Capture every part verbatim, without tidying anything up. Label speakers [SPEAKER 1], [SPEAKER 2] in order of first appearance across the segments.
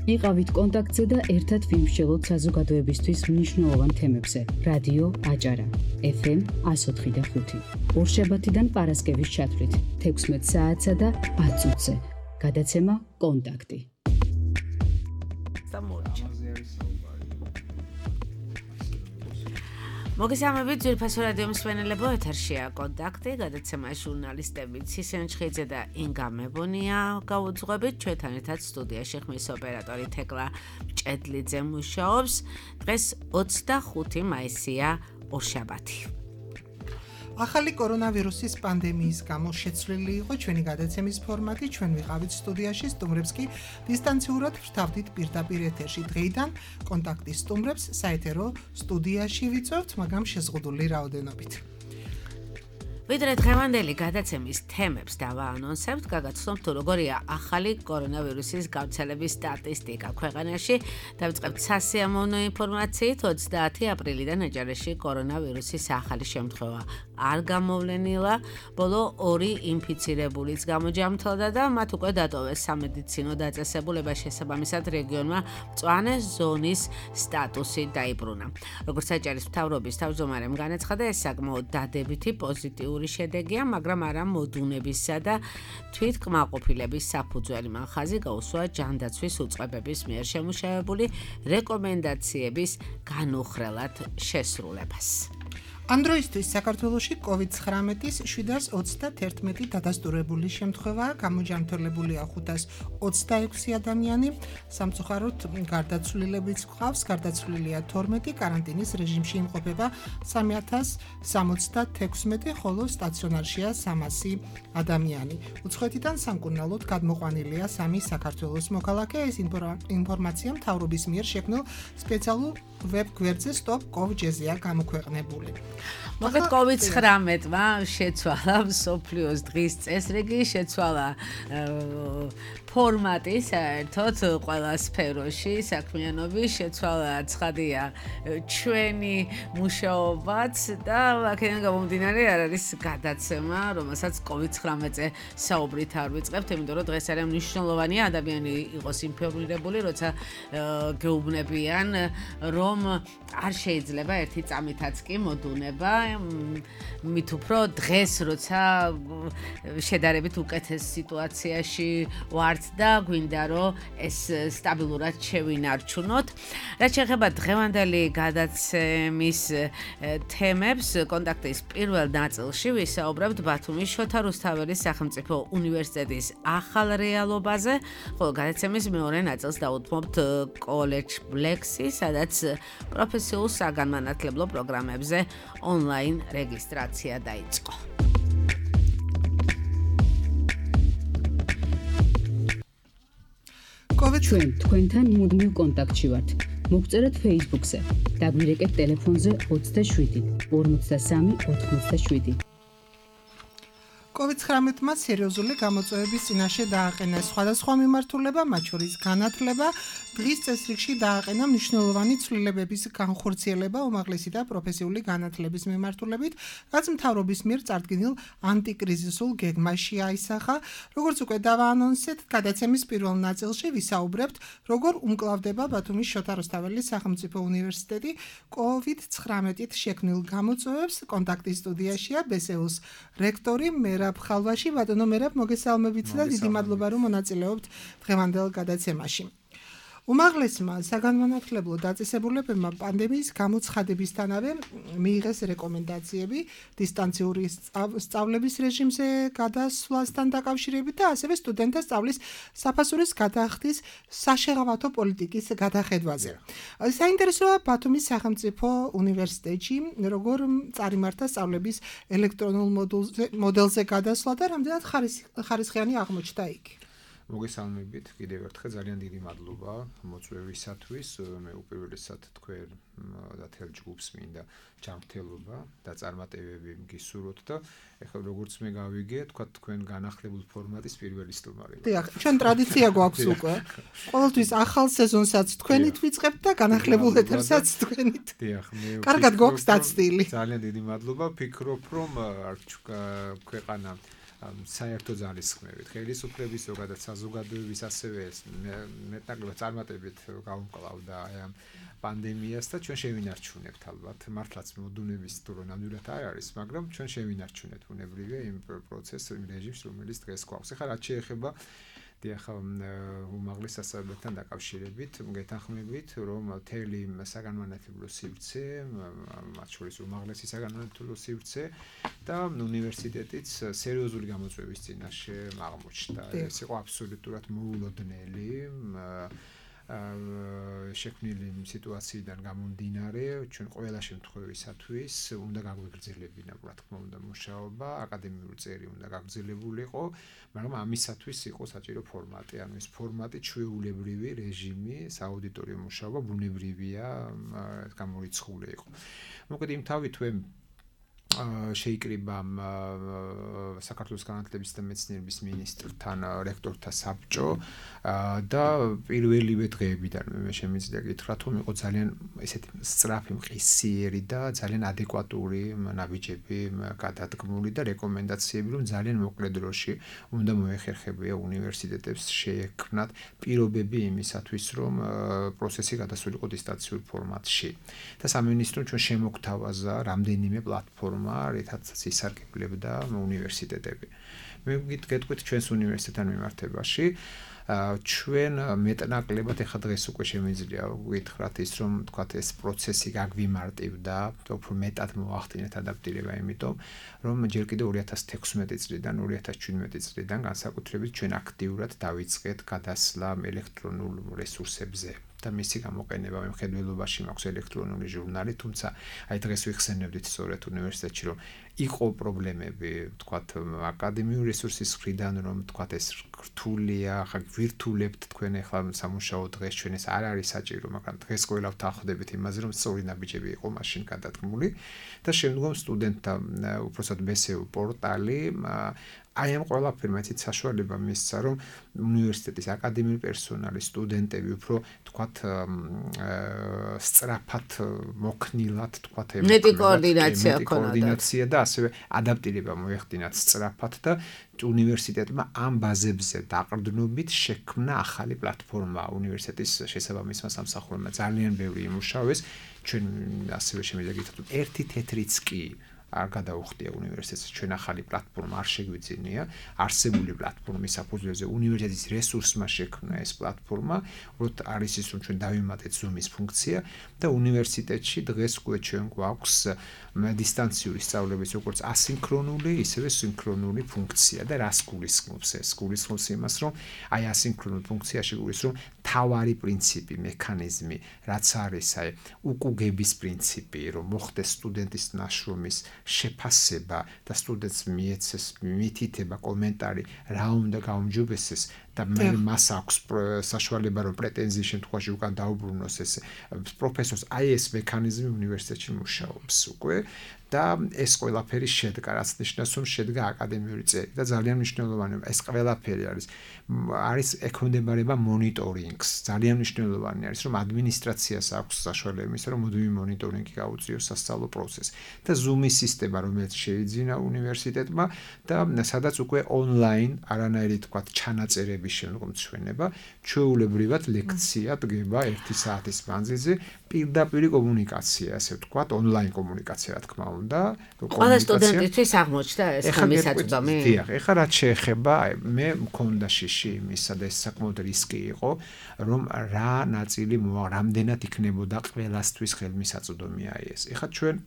[SPEAKER 1] იყავით კონტაქტზე და ერთად ვიმსჯელოთ საზოგადოებისთვის მნიშვნელოვან თემებზე. რადიო აჭარა, ეფ ემ εκατო ოთხი და ხუთი. ორშაბათიდან პარასკევის ჩათვლით, თექვსმეტ საათსა და ათ წუთზე. გადაცემა კონტაქტი.
[SPEAKER 2] მოგესალმებით ძვირფასო რადიო მსმენელებო, ეთერშია კონტაქტი, გადაცემა ჟურნალისტები ცისენ ჩხიძე და ინგა მებონია გაუძღვებით. ჩვენთან ერთად სტუდიაში ხმის ოპერატორი თეკლა ჭედლიძე მუშაობს. დღეს ოცდახუთი მაისია, ორშაბათი.
[SPEAKER 3] ახალი კორონავირუსის პანდემიის გამო შეცვლილი იყო ჩვენი გადაცემის ფორმატი. ჩვენ ვიყავით სტუდიაში, სტუმრებს კი დისტანციურად ვრთავდით პირდაპირ ეთერში. დღეიდან კონტაქტის სტუმრებს საეთერო სტუდიაში ვიწვევთ, მაგრამ შეზღუდული რაოდენობით.
[SPEAKER 2] ვიდრე დღევანდელი გადაცემის თემებს დავაანონსებთ, გაგაცნობთ თუ როგორია ახალი კორონავირუსის გავრცელების სტატისტიკა ქვეყანაში. დავიწყებთ სასიამოვნო ინფორმაციით. ოცდაათი აპრილიდან ეჯარაში კორონავირუსის ახალი შემთხვევა არ გამოვლენილა. ბოლო ორი ინფიცირებულიც გამოჯამთლდა და მათ უკვე დატოვეს სამედიცინო დაწესებულება. შესაბამისად რეგიონმა მწვანე ზონის სტატუსი დაიბრუნა. როგორც აჭარის მთავრობის თავმჯდომარემ განაცხადა, ეს საკმაოდ დადებითი პოზიტიური შედეგია, მაგრამ არა მოდუნებისა და თვითკმაყოფილების საფუძველი. მან ხაზი გაუსვა ჯანდაცვის უწყებების მიერ შემუშავებული რეკომენდაციების განუხრელად შესრულებას.
[SPEAKER 3] ამ დროისთვის საქართველოში კოვიდ ცხრამეტის შვიდას ოცდაათი დადასტურებული შემთხვევაა, გამოჯანმრთელებულია ხუთას ოცდაექვსი ადამიანი, სამწუხაროდ გარდაცვლილებიც გვყავს, გარდაცვლილია თორმეტი, კარანტინის რეჟიმში იმყოფება სამი ათას სამოცდათექვსმეტი, ხოლო სტაციონარშია სამასი ადამიანი. უცხოეთიდან სამკურნალოდ გადმოყვანილია სამი საქართველოს მოქალაქე. ეს ინფორმაცია მთავრობის მიერ შექმნილ სპეციალურ ვებ გვერდზე stop covid jezia გამოქვეყნებული.
[SPEAKER 2] მოკლედ კოვიდ ცხრამეტმა შეცვალა მსოფლიოს დღის წესრიგი, შეცვალა ფორმატი საერთოდ ყველა სფეროში საქმიანობის, შეცვალა ცხადია ჩვენი მუშაობაც და აქედან გამომდინარე არ არის გადაცემა, რომელსაც კოვიდ ცხრამეტზე საუბრით არ ვიწყებთ, იმიტომ რომ დღეს არის მნიშვნელოვანია ადამიანი იყოს ინფორმირებული, როცა გეუბნებიან, რომ არ შეიძლება ერთი წამითაც კი მოდუნება, მით უფრო დღეს როცა შედარებით უკეთეს სიტუაციაში ვართ და გვინდა რომ ეს სტაბილურად შევინარჩუნოთ. რაც შეეხება დღევანდელი გადაცემის თემებს, კონტაქტის პირველ ნაწილში ვისაუბრებთ ბათუმის შოთა რუსთაველის სახელმწიფო უნივერსიტეტის ახალ რეალობაზე, ხოლო გადაცემის მეორე ნაწილს დაუთმობთ კოლეჯ ბლექსი, სადაც პროფესიულ საგანმანათლებლო პროგრამებზე ონლაინ რეგისტრაცია დაიწყო.
[SPEAKER 1] ჩვენ თქვენთან მუდმივ კონტაქტში ვართ. მოგწერეთ Facebook-ზე, დაგვირეკეთ ტელეფონზე ოცდაშვიდი ორმოცდასამი ოთხმოცდაშვიდი.
[SPEAKER 3] კოვიდ ცხრამეტმა სერიოზული გამოწვევების წინაშე დააყენა სხვადასხვა მიმართულება, მათ შორის განათლება. დღის წესრიგში დააყენა მნიშვნელოვანი ცვლილებების განხორციელება უმაღლესი და პროფესიული განათლების მიმართულებით, რაც მთავრობის მიერ წარდგენილ ანტიკრიზისულ გეგმაში აისახა. როგორც უკვე დავაანონსეთ, გადაცემის პირველ ნაწილში ვისაუბრებთ, როგორ უმკლავდება ბათუმის შოთა რუსთაველის სახელმწიფო უნივერსიტეტი კოვიდ ცხრამეტით შექმნილ გამოწვევებს. კონტაქტის სტუდიაშია ბესეუს რექტორი მერაბ ხალვაში. ბატონო მერაბ, მოგესალმებით და დიდი მადლობა რომ მონაწილეობთ დღევანდელ გადაცემაში. უმაღლესმა საგანმანათლებლო დაწესებულებებმა პანდემიის გამოცხადებისთანავე მიიღეს რეკომენდაციები დისტანციური სწავლების რეჟიმზე გადასვლასთან დაკავშირებით და ასევე სტუდენტთა სწავლის საფასურის გადახდის საშეღავათო პოლიტიკის გადახედვაზე. საინტერესოა ბათუმის სახელმწიფო უნივერსიტეტში როგორ წარიმართა სწავლების ელექტრონულ მოდელზე გადასვლა და რამდენად ხარისხიანი აღმოჩნდა იგი.
[SPEAKER 4] მოგესალმებით, კიდევ ერთხელ ძალიან დიდი მადლობა მოწვევისათვის. მე უპირველესად თქვენ და თელ ჯგუფს მინდა ჯანმრთელობა და წარმატებები გისურვოთ და ეხლა როგორც მე გავიგე, თქვა თქვენ განახლებულ ფორმატის პირველი სტუმარი.
[SPEAKER 3] დიახ, ჩვენ ტრადიცია გვაქვს უკვე. ყოველთვის ახალ სეზონსაც თქვენით ვიწყებთ და განახლებულ ეთერსაც თქვენით.
[SPEAKER 4] დიახ, მე
[SPEAKER 3] კარგად გვაქვს დაცდილი.
[SPEAKER 4] ძალიან დიდი მადლობა. ფიქრობ, რომ ქვეყანა საერთო ძალისხმევით, ხელისუფლების ზოგადად საზოგადოების ასევე მეტნაკლებად წარმატებით გავუმკლავდა აი ამ პანდემიას და ჩვენ შევინარჩუნებთ ალბათ მართლაც მოდუნების თუ რომ ნამდვილად არ არის, მაგრამ ჩვენ შევინარჩუნებთ ბუნებრივია იმ პროცესს, იმ რეჟიმს, რომელიც დღეს გვაქვს. ეხლა რაც შეეხება ახლა უმაღლეს სასწავლებელთან დაკავშირებით გეთანხმებით, რომ მთელი საგანმანათლებლო სივრცე, მათ შორის უმაღლესი საგანმანათლებლო სივრცე და უნივერსიტეტიც სერიოზული გამოწვევის წინაშე აღმოჩნდა. ეს იყო აბსოლუტურად მოულოდნელი შექმნილი სიტუაციიდან გამომდინარე, ჩვენ ყველა შემთხვევისათვის უნდა გაგვეგრძელებინა, რა თქმა უნდა, მუშაობა, აკადემიური წერი უნდა გაგრძელებულიყო, მაგრამ ამისათვის იყო საჭირო ფორმატი, ანუ ეს ფორმატი ჩვეულებრივი რეჟიმი, სააუდიტორიო მუშაობა ბუნებრივია, გამორიცხული იყო. მოკლედ იმთავი თუ შეიკრიბა საქართველოს განათლების და მეცნიერების მინისტრთან რექტორთა საბჭო და პირველივე დღეებიდან მე შემიძლია გითხრათ, რომ იყო ძალიან ესეთი სწრაფი, მყისიერი და ძალიან ადეკვატური ნაბიჯები გადადგმული და რეკომენდაციები, რომ ძალიან მოკლე დროში უნდა მოეხერხებია უნივერსიტეტებს შეექმნათ პირობები იმისათვის, რომ პროცესი გადასულიყო დისტანციურ ფორმატში. და სამინისტრომ ჩვენ შემოგთავაზა რამდენიმე პლატფორმა რითაც ისარგებლებდა უნივერსიტეტები. მე გეტყვით ჩვენს უნივერსიტეტთან მიმართებაში, ჩვენ მეტნაკლებად ეხა დღეს უკვე შემიძლია გითხრათ ის, რომ თქვათ ეს პროცესი გაგვიმარტივდა, უფრო მეტად მოახდინეთ ადაპტირება, იმიტომ რომ ჯერ კიდევ ორი ათას თექვსმეტი წლიდან ორი ათას ჩვიდმეტი წლიდან განსაკუთრებით ჩვენ აქტიურად დავიწყეთ გადასვლა ელექტრონულ რესურსებზე. და მისი გამოყენება მხედველობაში მაქვს ელექტრონული ჟურნალი, თუმცა აი დღეს ვიხსენებდით სწორედ უნივერსიტეტში, რომ იყო პრობლემები, თქვათ, აკადემიური რესურსის მხრიდან, რომ თქვათ ეს რთულია, ხა ვირტულებთ თქვენ ახლა სამუშაო დღეს ჩვენ ეს არ არის საჭირო, მაგრამ დღეს ყველა ვთანხმდებით იმაზე, რომ სწორი ნაბიჯები იყო მაშინ გადადგმული და შემდგომ სტუდენტთა უпроსად მესეო პორტალი აი ამ ყველაფერმა ისეთ საშუალება მისცა, რომ უნივერსიტეტის აკადემიური პერსონალი, სტუდენტები უფრო თქვათ სწრაფად მოქნილად, თქვათ
[SPEAKER 2] მეტი კოორდინაცია ქონოდა.
[SPEAKER 4] კოორდინაცია და ასევე ადაპტირება მოეხდინათ სწრაფად და უნივერსიტეტმა ამ ბაზებზე დაყრდნობით შექმნა ახალი პლატფორმა უნივერსიტეტის შესაბამისმა სამსახურებმა. ძალიან ბევრი იმუშავეს, ჩვენ ასევე შემიძლია გითხრათ, ერთი თეთრიც კი არ გადაუხდია უნივერსიტეტს, ჩვენ ახალი პლატფორმა არ შეგვიძინია, არსებული პლატფორმის საფუძველზე უნივერსიტეტის რესურსმა შექმნა ეს პლატფორმა, უბრალოდ არის ის, რომ ჩვენ დავიმატეთ Zoom-ის ფუნქცია და უნივერსიტეტში დღეს უკვე ჩვენ გვაქვს დისტანციური სწავლების როგორც ასინქრონული, ისევე სინქრონული ფუნქცია და რას გულისხმობს ეს? გულისხმობს იმას, რომ აი ასინქრონულ ფუნქციაში გულისხმობს, რომ თავარი პრინციპი, მექანიზმი, რაც არის აი უკუგების პრინციპი, რომ მოხდეს სტუდენტის ნაშრომის შეფასება და სტუდენტს მიეცეს მითითება კომენტარი, რა უნდა გაუმჯობესდეს და მე მას აქვს საშუალება რომ პრეტენზიის შემთხვევაში უკან დაუბრუნოს ეს პროფესორს, აი ეს მექანიზმი უნივერსიტეტში მუშაობს უკვე და ეს ყველაფერი შედგა, რაც ნიშნავს, რომ შედგა აკადემიური წერი და ძალიან მნიშვნელოვანია, ეს ყველაფერი არის არის ექვემდებარება მონიტორინგს. ძალიან მნიშვნელოვანი არის, რომ ადმინისტრაციას აქვს საშუალება იმისა, რომ მუდმივი მონიტორინგი გაუწიოს სასწავლო პროცესს და Zoom-ის სისტემა, რომელიც შეიძინა უნივერსიტეტმა და სადაც უკვე ონლაინ არანაირი თქვათ ჩანაწერების შემდგომ ჩვენება, ჩვეულებრივად ლექცია დგება ერთი საათის მანძილზე, პირდაპირ კომუნიკაცია, ასე ვთქვათ, ონლაინ კომუნიკაცია, რა თქმა უნდა.
[SPEAKER 2] ყველა სტუდენტისთვის აღმოჩნდა ეს ხმისაწვდომი?
[SPEAKER 4] დიახ, ეხლა რაც შეეხება, მე მქონდა შიში იმისა და ეს საკმაოდ რისკი იყო, რომ რა ნაწილი მოა, რამდენად იქნებოდა ყველასთვის ხელმისაწვდომი აი ეს. ეხლა ჩვენ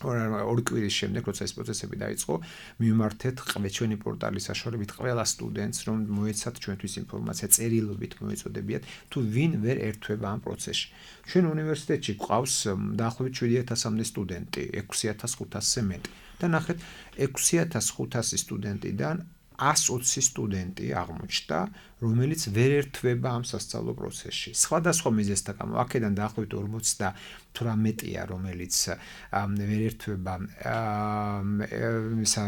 [SPEAKER 4] ორი კვირის შემდეგ, როცა ეს პროცესები დაიწყო, მივმართეთ ჩვენი პორტალის საშუალებით ყველა სტუდენტს, რომ მოეცათ ჩვენთვის ინფორმაცია, წერილობით მოეწოდებიათ, თუ ვინ ვერ ერთვება ამ პროცესში. ჩვენ უნივერსიტეტში გვყავს დაახლოებით შვიდი ათასამდე სტუდენტი, ექვსი ათას ხუთასზე მეტი. და ნახეთ, ექვსი ათას ხუთასი სტუდენტიდან ასი ოცი სტუდენტი აღმოჩნდა, რომელიც ვერ ერთვება ამ სასწავლო პროცესში. სხვადასხვა მიზეზთა გამო, აქედან დაახლოებით ორმოცდათვრამეტია, რომელიც ვერ ერთვება ისა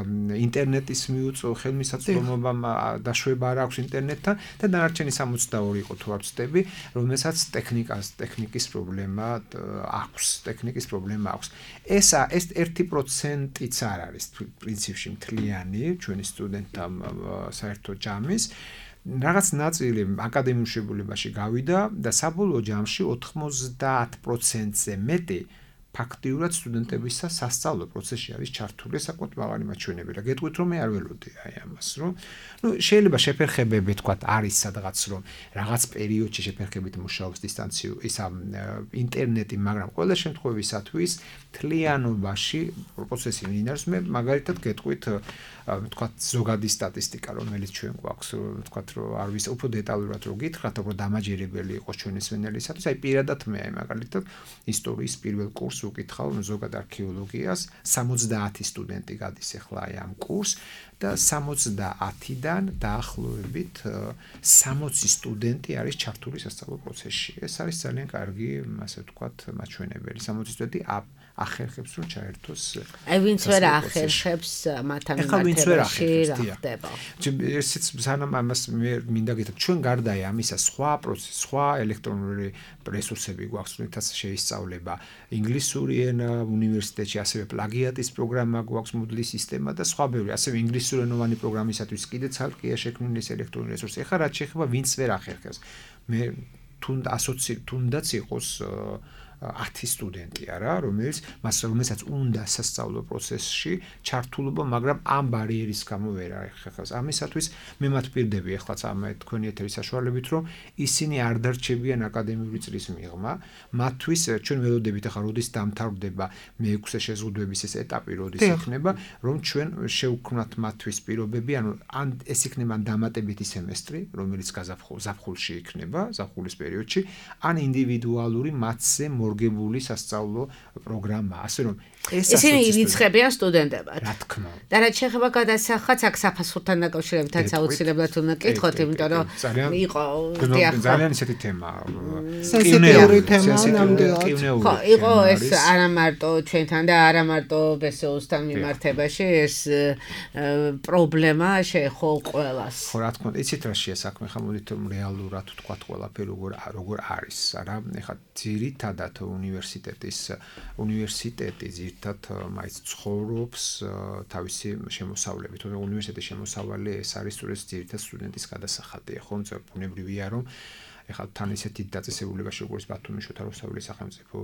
[SPEAKER 4] ინტერნეტის მიუწვევ ხელმისაწვდომობამ დაშვება არ აქვს ინტერნეტთან და დანარჩენი სამოცდაორი იყო თუ არ ვცდები, რომელსაც ტექნიკას, ტექნიკის პრობლემა აქვს, ტექნიკის პრობლემა აქვს. ეს ეს ერთი პროცენტიც არ არის პრინციპში მთლიანი ჩვენი სტუდენტთა საერთო ჯამის. რაღაც ნაწილი აკადემიურ შეგულებაში გავიდა და საბოლოო ჯამში ოთხმოცდაათ პროცენტზე მეტი ფაქტიურად სტუდენტებისა სასწავლო პროცესში არის ჩართული საკუთარ მაღალი მაჩვენები და გეტყვით რომ მე არ ველოდი აი ამას რომ ნუ შეიძლება შეფერხებები თქვა არის სადღაც რომ რაღაც პერიოდში შეფერხებით მუშაობს დისტანციურ ის ინტერნეტი მაგრამ ყველა შემთხვევისათვის თლიანობაში პროცესი მინარს მე მაგალითად გეტყვით თქვა ზოგადი სტატისტიკა რომელიც ჩვენ გვაქვს თქვა რომ არ ვის უფრო დეტალურად რო გითხრათ უფრო დამაჯერებელი იყოს ჩვენი სვენელისათვის აი პირადად მე აი მაგალითად ისტორიის პირველ კურსს უკითხავ ზოგად არქეოლოგიას სამოცდაათი სტუდენტი გადის ახლა აი ამ კურსს და სამოცდაათიდან დაახლოებით სამოცი სტუდენტი არის ჩართული სასწავლო პროცესში ეს არის ძალიან კარგი ასე ვთქვათ მაჩვენებელი სამოცი სტუდენტი ახერხებს რომ ჩაერთოს
[SPEAKER 2] აი ვინც ვერ ახერხებს მათთან მიმართებაში რა ხდება
[SPEAKER 4] ესეც სანამ ამას მე მინდა გითხრათ ჩვენ გარდა ამისა სხვა პროცესი სხვა ელექტრონული რესურსები გვაქვს რითაც შეისწავლება ინგლისური ენა უნივერსიტეტში ასევე პლაგიატის პროგრამა გვაქვს Moodle-ის სისტემა და სხვა ბევრი ასევე ინგლისურენოვანი პროგრამისათვის კიდე ცალკეა შექმნილი ეს ელექტრონული რესურსი ეხლა რაც შეეხება ვინც ვერ ახერხებს მე თუნდაც ასოცი თუნდაც იყოს ათი სტუდენტი არა რომელიც მას რომელსაც უნდა სასწავლო პროცესში ჩართულობა მაგრამ ამ ბარიერის გამო ვერ ახერხებს ამისათვის მე მათ პირდები ეხლაც ამ თქვენი ეთერის საშუალებით რომ ისინი არ დარჩებიან აკადემიური წრის მიღმა მათთვის ჩვენ ველოდებით ახლა როდის დამთავრდება მეექვსე შეზღუდვების ეს ეტაპი როდის იქნება რომ ჩვენ შევქმნათ მათთვის პირობები ანუ ან ეს იქნება დამატებითი სემესტრი რომელიც გაზაფხულში იქნება ზაფხულის პერიოდში ან ინდივიდუალური მათზე მორგებული სასწავლო პროგრამა, ასე რომ ეს
[SPEAKER 2] ისინი ირიცხებიან სტუდენტებად.
[SPEAKER 4] რა თქმა უნდა.
[SPEAKER 2] და რაც შეეხება გადასახადს, აქ საფასურთან დაკავშირებითაც აუცილებლად უნდა კითხოთ, იმიტომ რომ იყო
[SPEAKER 4] ძალიან ისეთი თემა.
[SPEAKER 3] სენსიტიური თემა ნამდვილად.
[SPEAKER 2] ხო, იყო ეს არა მარტო ჩვენთან და არა მარტო ბესოუსთან მიმართებაში ეს პრობლემა შეეხო ყველას.
[SPEAKER 4] ხო, რა თქმა უნდა, იცით რა შეა საქმე, ხამოდით რეალურად თქვათ ყველაფერი როგორ როგორ არის, არა? ეხლა ძირითადად უნივერსიტეტის უნივერსიტეტი ძირითადად მაინც ცხოვრობს თავისი შემოსავლებით. უნივერსიტეტის შემოსავალი ეს არის სწორედ ძირითადად სტუდენტის გადასახადია, ხო? ბუნებრივია რომ ეხლა თან ისეთი დაწესებულებაში როგორც ბათუმის შოთა რუსთაველის სახელმწიფო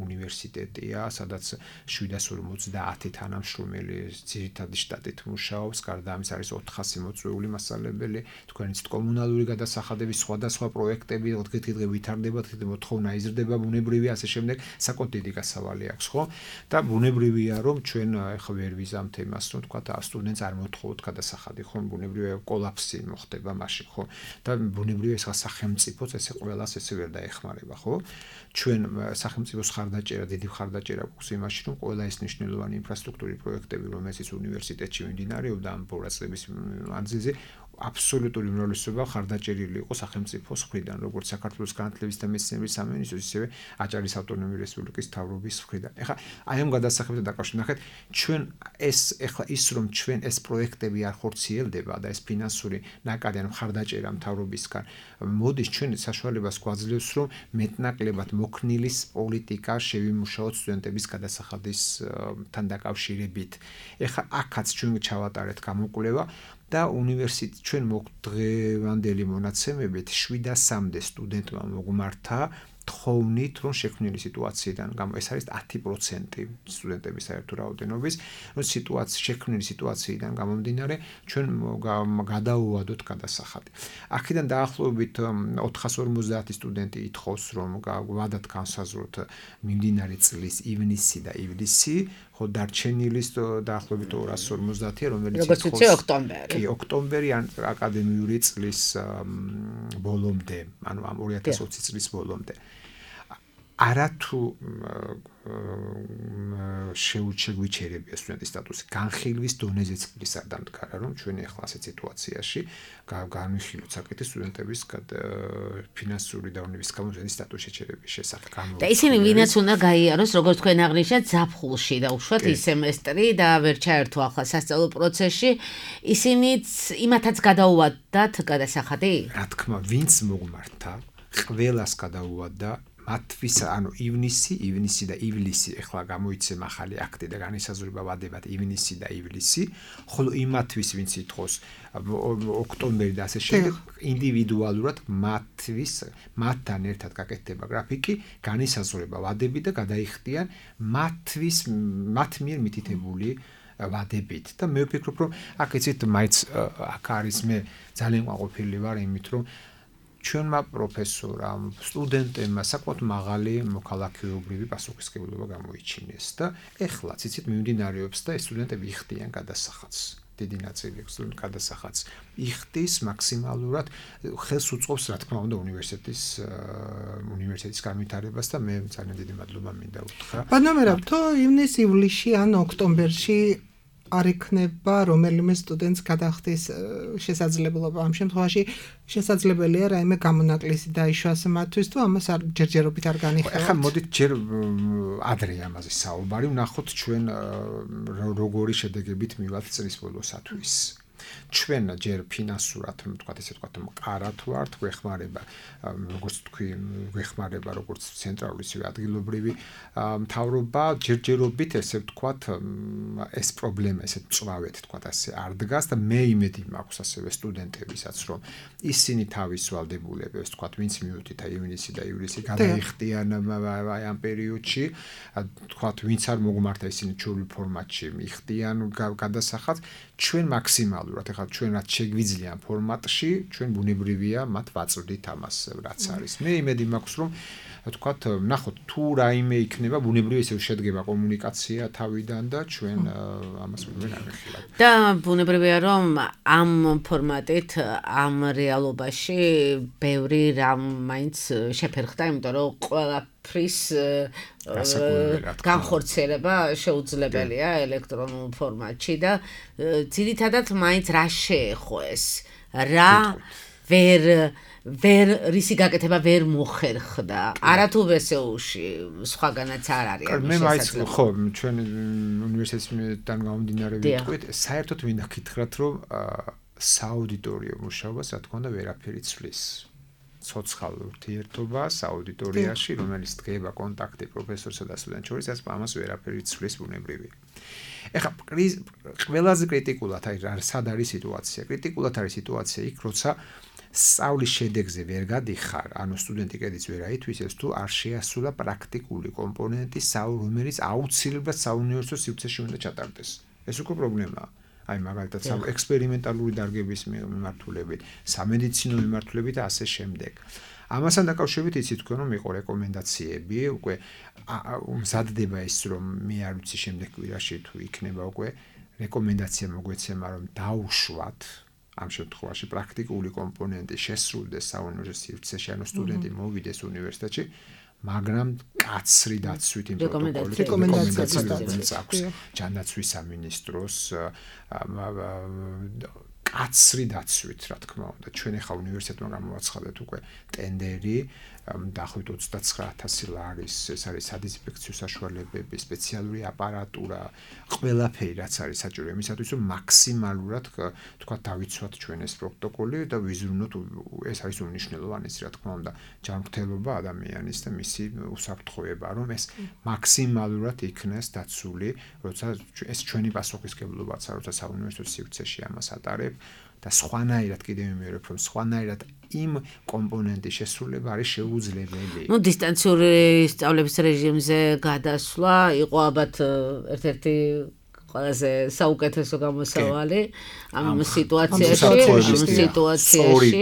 [SPEAKER 4] უნივერსიტეტია, სადაც შვიდას ორმოცდაათი თანამშრომელი ძირითადი შტატით მუშაობს, გარდა ამის არის ოთხასი მოწვეული მასწავლებელი, თქვენიც კომუნალური გადასახადების სხვადასხვა პროექტები, დღე-დღე ვითარდება, დღე მოთხოვნა იზრდება, ბუნებრივია ასე შემდეგ, საკმაოდ დიდი გასავალი აქვს, ხო? და ბუნებრივია რომ ჩვენ ეხლა ვერ ვიზამთ იმას, რომ თქვა სტუდენტს არ მოთხოვოთ გადასახადი, ხო? ბუნებრივია კოლაფსი მოხდება მაშინ, ხო? და ბუნებრივია ეს სახელმწიფო ესე ყველას ესე ვერ დაეხმარება, ხო? ჩვენ სახელმწიფოს ხარდაჭერა, დიდი ხარდაჭერა გვაქვს იმაში, რომ ყველა ეს მნიშვნელოვანი ინფრასტრუქტურის პროექტები, რომელსაც უნივერსიტეტში მიმდინარეობდა ამ ბორაცების მანძილზე, აბსოლუტური უმრავლესობა ხარდაჭერილი იყო სახელმწიფოს მხრიდან, როგორც საქართველოს განათლების და მეცნიერების სამინისტროს, ისევე აჭარის ავტონომიური რესპუბლიკის მთავრობის მხრიდან. ეხლა აი ამ გადასახადებთან დაკავშირებით ნახეთ, ჩვენ ეს ეხლა ის რომ ჩვენ ეს პროექტები არ ხორციელდება და ეს ფინანსური ნაკადი ან ხარდაჭერა მთავრობისგან მოდის, ჩვენ საშუალებას გვაძლევს, რომ მეტნაკლებად მოქნილის პოლიტიკა შევიმუშაოთ სტუდენტების გადასახადისთან დაკავშირებით. ეხლა აქაც ჩვენ ჩავატარეთ გამოკვლევა და უნივერსიტეტ ჩვენ მოგდღევანდელი მონაცემებით შვიდასამდე სტუდენტმა მოგმართა თხოვნით რომ შექმნილი სიტუაციიდან გამო ეს არის ათი პროცენტი სტუდენტების საერთო რაოდენობის რომ სიტუაცია შექმნილი სიტუაციიდან გამომდინარე ჩვენ გადაუვადოთ გადასახადი. აქედან დაახლოებით ოთხას ორმოცდაათი სტუდენტი ითხოვს რომ ვადათ განსაზღვროთ მიმდინარე წლის ივნისი და ივლისი ხო დარჩენილი დაახლოებით ორას ორმოცდაათია რომელიც
[SPEAKER 2] როგორც ვიცი ოქტომბერი.
[SPEAKER 4] კი ოქტომბერი ან აკადემიური წლის ბოლომდე ანუ ამ ორი ათას ოცი წლის ბოლომდე. არათუ შეუჩეგვიჩერებია სტუდენტის სტატუსი განხილვის დონეზეც ის არ დამდგარა რომ ჩვენ ახლა ასეთ სიტუაციაში განვიხილოთ საკითხი სტუდენტების ფინანსური და უნივერსიტეტის სტატუსის შეჩერების შესახებ.
[SPEAKER 2] და ისინი ვინაც უნდა გაიაროს როგორც თქვენ აღნიშნეთ ზაფხულში და უშუალოდ ის სემესტრი და ვერ ჩაერთო ახლა სასწავლო პროცესში ისინიც იმათაც გადაუვადათ გადასახადი?
[SPEAKER 4] რა თქმა უნდა ვინც მოგმართა ყველას გადაუვადდა მათთვის ანუ ივნისი, ივნისი და ივლისი ახლა გამოიცემ ახალი აქტი და განისაზღვრება ვადებად ივნისი და ივლისი, ხოლო იმათთვის ვინც ითხოვს ოქტომბერი და ასე შემდეგ ინდივიდუალურად მათთვის მათთან ერთად გაკეთდება გრაფიკი, განისაზღვრება ვადები და გადაიხდიან მათთვის მათ მიერ მითითებული ვადებით და მე ვფიქრობ რომ აქ იცით მაინც აქ არის მე ძალიან ყვაყოფილი ვარ იმით რომ ჩვენმა პროფესორამ, სტუდენტებმა საკმაოდ მაღალი მოქალაქეობრივი პასუხისმგებლობა გამოიჩინეს და ეხლა ციცით მიმდინარეობს და ეს სტუდენტები იხდიან გადასახადს. დიდი ნაწილი სტუდენტ გადასახადს იხდის მაქსიმალურად ხელს უწყობს რა თქმა უნდა უნივერსიტეტის უნივერსიტეტის განვითარებას და მე ძალიან დიდი მადლობა მინდა უთხრა.
[SPEAKER 3] ბანომერა, თუ ივნის-ივლისში ან ოქტომბერში არ იქნება რომელიმე სტუდენტს გადახდის შესაძლებლობა. ამ შემთხვევაში შესაძლებელია რაიმე გამონაკლისი დაიშვას მათთვის თუ ამას არ ჯერჯერობით არ განიხილავთ.
[SPEAKER 4] ახლა მოდით ჯერ ადრე ამაზე საუბარი ვნახოთ ჩვენ როგორი შედეგებით მივათ წლის ბოლოსათვის. ჩვენ ჯერ ფინანსურად თქვათ ესე თქვათ მყარად ვართ, გვეხმარება როგორც თქვი, გვეხმარება როგორც ცენტრალური ისე ადგილობრივი მთავრობა, ჯერჯერობით ესე ვთქვათ ეს პრობლემა ესე წვავეთ თქვათ ასე არ დგას და მე იმედი მაქვს ასევე სტუდენტებისაც რომ ისინი თავის ვალდებულებებს თქვათ ვინც მიუთით აი ივნისი და ივლისი გადაიხდიან აი ამ პერიოდში, თქვათ ვინც არ მოგმართა ისინი ჩვეულებრივ ფორმატში მიხდიან გადასახადს, ჩვენ მაქსიმალურად ახლა ჩვენ რაც შეგვიძლია ფორმატში, ჩვენ ბუნებრივია მათ ვაწვდით ამას რაც არის. მე იმედი მაქვს რომ თქვათ ნახოთ თუ რაიმე იქნება ბუნებრივია ესე შედგება კომუნიკაცია თავიდან და ჩვენ ამას ვერ აღეხილავთ.
[SPEAKER 2] და ბუნებრივია რომ ამ ფორმატით ამ რეალობაში ბევრი რამ მაინც შეფერხდა, იმიტომ რომ ყველაფრის განხორციელება შეუძლებელია ელექტრონულ ფორმატში და ძირითადად მაინც რა შეეხო ეს რა ვერ ვერ რისი გაკეთება ვერ მოხერხდა არათუ ვესეულში სხვაგანაც არ არის
[SPEAKER 4] ამის შესაძლებლობა. მე მაინც ხო ჩვენ უნივერსიტეტიდან გამომდინარე ვიტყვით საერთოდ მინდა გითხრათ რომ სააუდიტორიო მუშაობას რა თქმა უნდა ვერაფერი ცვლის. ცოცხალ ურთიერთობას აუდიტორიაში, რომელიც დგება კონტაქტი პროფესორსა და სტუდენტ შორის, ეს ამას ვერაფერი ცვლის ბუნებრივია. ეხლა ყველაზე კრიტიკულად არის სად არის სიტუაცია? კრიტიკულად არის სიტუაცია იქ, როცა სწავლის შედეგზე ვერ გადიხარ, ანუ სტუდენტი კედიც ვერ აითვისებს თუ არ შეასრულა პრაქტიკული კომპონენტი, რომელიც აუცილებლად საუნივერსიტეტო სივრცეში უნდა ჩატარდეს. ეს უკვე პრობლემაა. აი მაგალითად ექსპერიმენტალური დარგების მიმართულებით, სამედიცინო მიმართულებით და ასე შემდეგ. ამასთან დაკავშირებით იცით თქვენ რომ იყო რეკომენდაციები, უკვე მზადდება ის რომ მე არ ვიცი შემდეგ კვირაში თუ იქნება უკვე რეკომენდაცია მოგვეცემა რომ დაუშვათ ამ შემთხვევაში პრაქტიკული კომპონენტი შესრულდეს საუნივერსიტეტო სივრცეში, ანუ სტუდენტი მოვიდეს უნივერსიტეტში, მაგრამ კაცრი დაცვით იმ პროტოკოლით რეკომენდაციას აქვს ჯანდაცვის სამინისტროს კაცრი დაცვით, რა თქმა უნდა. ჩვენ ახლა უნივერსიტეტმა გამოვაცხადეთ უკვე ტენდერი დაახლოებით ოცდაცხრა ათასი ლარის, ეს არის სადიზინფექციო საშუალებები, სპეციალური აპარატურა, ყველაფერი რაც არის საჭირო იმისათვის, რომ მაქსიმალურად თქვა დავიცვათ ჩვენ ეს პროტოკოლი და ვიზრუნოთ, ეს არის უმნიშვნელოვანესი, რა თქმა უნდა, ჯანმრთელობა ადამიანის და მისი უსაფრთხოება, რომ ეს მაქსიმალურად იქნეს დაცული, როცა ეს ჩვენი პასუხისმგებლობაა, როცა საუნივერსიტეტო სივრცეში ამას ატარებ და სხვანაირად კიდევ მიმეორებ, რომ სხვანაირად იმ კომპონენტის შესრულება არის შეუძლებელი.
[SPEAKER 2] ნუ დისტანციური სწავლების რეჟიმზე გადასვლა იყო ალბათ ერთ-ერთი ყველაზე საუკეთესო გამოსავალი ამ სიტუაციაში, ამ სიტუაციაში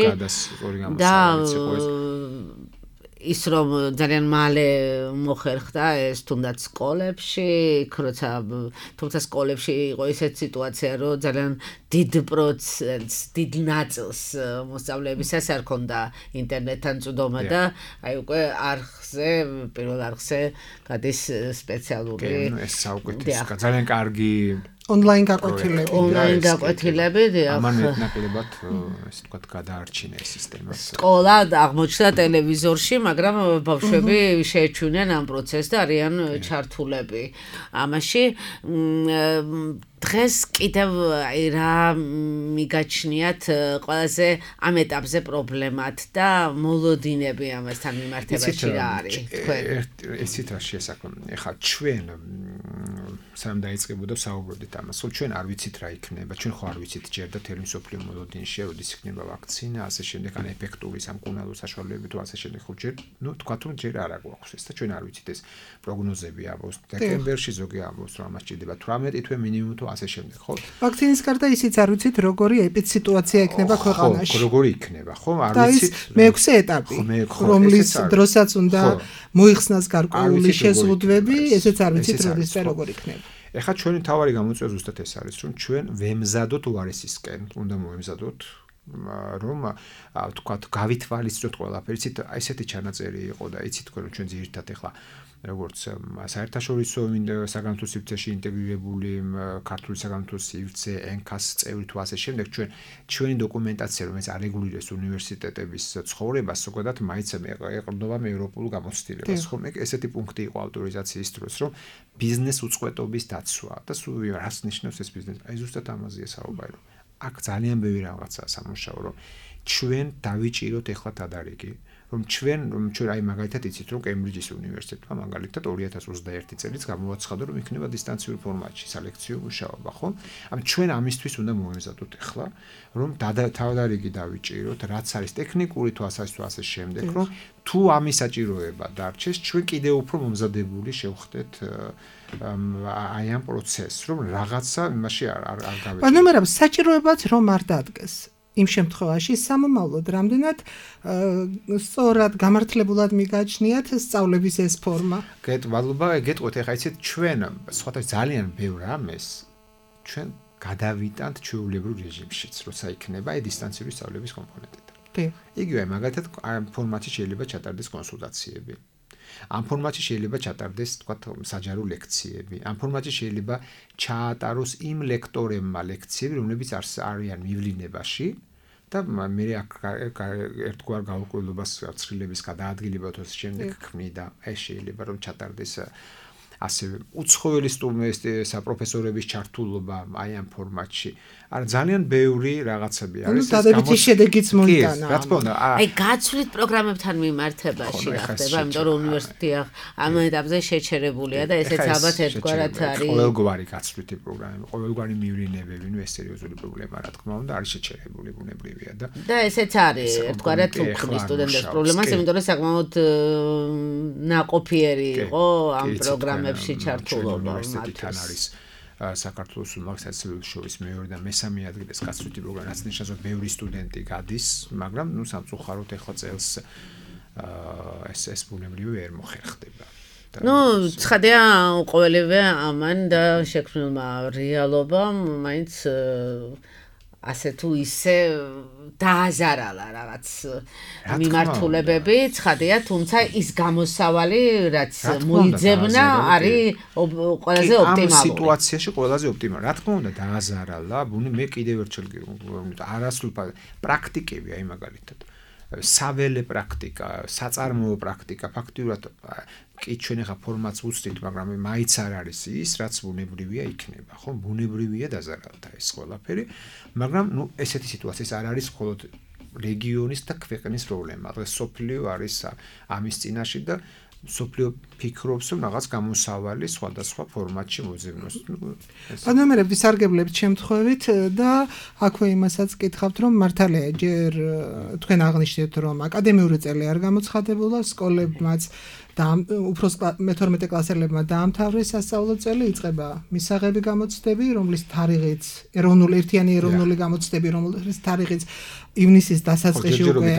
[SPEAKER 2] და ის რომ ძალიან მალე მოხერხდა ეს თუნდაც სკოლებში, როცა თუმცა სკოლებში იყო ესეთ სიტუაცია, რომ ძალიან დიდ პროცენტს, დიდ ნაწილს მოსწავლეებისას არ ქონდა ინტერნეტთან წვდომა და აი უკვე არხზე, პირველ არხზე გადის სპეციალური
[SPEAKER 4] ეს საუკეთესო, ძალიან კარგი
[SPEAKER 3] ონლაინ გაკვეთილები.
[SPEAKER 2] ონლაინ გაკვეთილები, დიახ.
[SPEAKER 4] ამან ნაკლებად ესე ვთქვათ გადაარჩინა ეს სისტემა.
[SPEAKER 2] სკოლა აღმოჩნდა ტელევიზორში, მაგრამ ბავშვები შეეჩვენენ ამ პროცესს და არიან ჩართულები. ამაში დღეს კიდევ აი რა მიგაჩნიათ ყველაზე ამ ეტაპზე პრობლემად და მოლოდინები ამასთან მიმართებაში რა არის თქვენ?
[SPEAKER 4] ესეთ რა შესაძლოა. ეხლა ჩვენ სამ დაიწყებოდა საუბრობდით ამას. ხო ჩვენ არ ვიცით რა იქნება. ჩვენ ხო არ ვიცით ჯერ და თელი მსოფლიო მოლოდინში როდის იქნება ვაქცინა, ასე შემდეგ, ან ეფექტური სამკურნალო საშუალებები თუ ასე შემდეგ. ხო ჯერ, ну, თქვათ რომ ჯერ არ აგვაქვს ეს და ჩვენ არ ვიცით ეს პროგნოზები ამბობს. დეკემბერში ზოგი ამბობს რომ ამას ჭირდება თვრამეტი თვე მინიმუმ თუ ასე შემდეგ, ხო?
[SPEAKER 3] ვაქცინის გარდა ისიც არ ვიცით როგორი ეპიდსიტუაცია იქნება ქვეყანაში.
[SPEAKER 4] ხო, როგორი იქნება, ხო? არ
[SPEAKER 3] ვიცით. მეექვსე ეტაპი, რომლის დროსაც უნდა მოიხსნას გარკვეული შეზღუდვები, ესეც არ ვიცით როდის და როგორ იქნება.
[SPEAKER 4] ეხლა ჩვენი თავარი გამოწვევა ზუსტად ეს არის, რომ ჩვენ ვემზადოთ უარესისკენ, უნდა მოვემზადოთ, რომ თქვათ გავითვალისწინოთ ყველაფერი, იცით, ესეთი ჩანაწერი იყო და იცით თქვენ რომ ჩვენ ძირითადად ეხლა როგორც საერთაშორისო საგამართლო სივრცეში ინტეგრირებული ქართული საგამართლო სივრცე, ენქას წევრი თუ ასე შემდეგ, ჩვენ ჩვენი დოკუმენტაცია, რომელიც არეგულირებს უნივერსიტეტების ცხოვრებას, ზოგადად მაინც ეყრდნობა ევროპულ გამოცდილებას, ხო? მე ესეთი პუნქტი იყო ავტორიზაციის დროს, რომ ბიზნეს უწყვეტობის დაცვა და სულ რას ნიშნავს ეს ბიზნესი? აი ზუსტად ამაზეა საუბარი, რომ აქ ძალიან ბევრი რაღაცაა სამუშაო, რომ ჩვენ დავიჭიროთ ეხლა თადარიგი, რომ ჩვენ რომ ჩვენ აი მაგალითად იცით რომ კემბრიჯის უნივერსიტეტმა მაგალითად ორი ათას ოცდაერთი წელს გამოაცხადა რომ იქნება დისტანციურ ფორმატში სალექციო მუშაობა, ხო? ამ ჩვენ ამისთვის უნდა მოვემზადოთ ეხლა, რომ თადარიგი დავიჭიროთ, რაც არის ტექნიკური თუ ასე თუ ასე შემდეგ, რომ თუ ამის საჭიროება დარჩეს, ჩვენ კიდევ უფრო მომზადებული შევხდეთ აი ამ პროცესს, რომ რაღაცა იმაში არ არ გავეჭიროთ.
[SPEAKER 3] ანუ მაგრამ საჭიროებაც რომ არ დადგეს. იმ შემთხვევაში სამომავლოდ რამდენად სწორად გამართლებულად მიგაჩნიათ სწავლების ეს ფორმა.
[SPEAKER 4] გეტყვალობა, გეტყვით, ეხლა იცით ჩვენ სხვათა ძალიან ბევრ ამეს ჩვენ გადავიტანთ ჩვეულებრივ რეჟიმშიც, როცა იქნება აი დისტანციური სწავლების კომპონენტი. იგივე მაგალითად ამ ფორმატში შეიძლება ჩატარდეს კონსულტაციები. ამ ფორმატში შეიძლება ჩატარდეს, თქვათ, საჯარო ლექციები. ამ ფორმატში შეიძლება ჩაატაროს იმ ლექტორებმა ლექციები, რომლებიც არიან მივლინებაში და მე ერთგვარ გაურკვევლობას ცხრილების გადაადგილება თუ შემდეგ ქმნიდა. ეს შეიძლება რომ ჩატარდეს ასე უცხოელი სტუდენტების საპროფესორების ჩართულობა აი ამ ფორმატში. არ ძალიან ბევრი რაღაცები არის
[SPEAKER 3] ეს დადებითი შედეგიც მოიტანა.
[SPEAKER 4] რა თქმა უნდა,
[SPEAKER 2] აი გაცვლით პროგრამებთან მიმართებაში რა ხდება, იმიტომ რომ უნივერსიტეტი ამ ეტაპზე შეჩერებულია და ესეც ალბათ ერთგვარად არის.
[SPEAKER 4] ყოველგვარი გაცვლითი პროგრამები, ყოველგვარი მივლინებები, ნუ ეს სერიოზული პრობლემა რა თქმა უნდა არის შეჩერებული, ბუნებრივია და
[SPEAKER 2] და ესეც არის ერთგვარად უქმნის სტუდენტებს პრობლემას, იმიტომ რომ საკმაოდ ნაყოფიერი იყო ამ პროგრამებში ჩართულობა
[SPEAKER 4] მათთვის. საქართველოს უმაღლესი შორის მეორე და მესამე ადგილას გაცვლითი პროგრამა, რაც ნიშნავს, რომ ბევრი სტუდენტი გადის, მაგრამ ნუ სამწუხაროდ ეხლა წელს ეს ეს ბუნებრივი ვერ მოხერხდება.
[SPEAKER 2] ნუ ცხადია ყოველივე ამან და შექმნილმა რეალობამ მაინც ასე თუ ისე დააზარალა რაღაც მიმართულებები, ცხადია, თუმცა ის გამოსავალი, რაც მოიძებნა, არის ყველაზე ოპტიმალური.
[SPEAKER 4] ამ სიტუაციაში ყველაზე ოპტიმალური. რა თქმა უნდა, დააზარალა, ბუნი მე კიდევ ერთხელ არასრულ პრაქტიკები, აი მაგალითად. საველე პრაქტიკა, საწარმოო პრაქტიკა, ფაქტიურად კი ჩვენ ახლა ფორმატს უცდით, მაგრამ მაინც არ არის ის, რაც ბუნებრივია იქნება, ხო? ბუნებრივია დაზარალდა ეს ყველაფერი, მაგრამ ნუ ესეთი სიტუაციის არ არის მხოლოდ რეგიონის და ქვეყნის პრობლემა. დღეს სოფლიო არის ამის წინაშე და სოფლიო ფიქრობს, რომ რაღაც გამოსავალი სხვადასხვა ფორმატში მოძებნოს.
[SPEAKER 3] ანუ მე ვისარგებლებთ შემთხვევით და აქვე იმასაც კითხავთ, რომ მართალია ჯერ თქვენ აღნიშნეთ, რომ აკადემიური წელი არ გამოცხადებულა სკოლებმაც და უფროს მეთორმეტე კლასელებმა დაამთავრეს სასწავლო წელი, იწყება მისაღები გამოცდები, რომლის თარიღიც ეროვნული ერთიანი ეროვნული გამოცდები, რომლის თარიღიც ივნისის დასაწყისში უკვე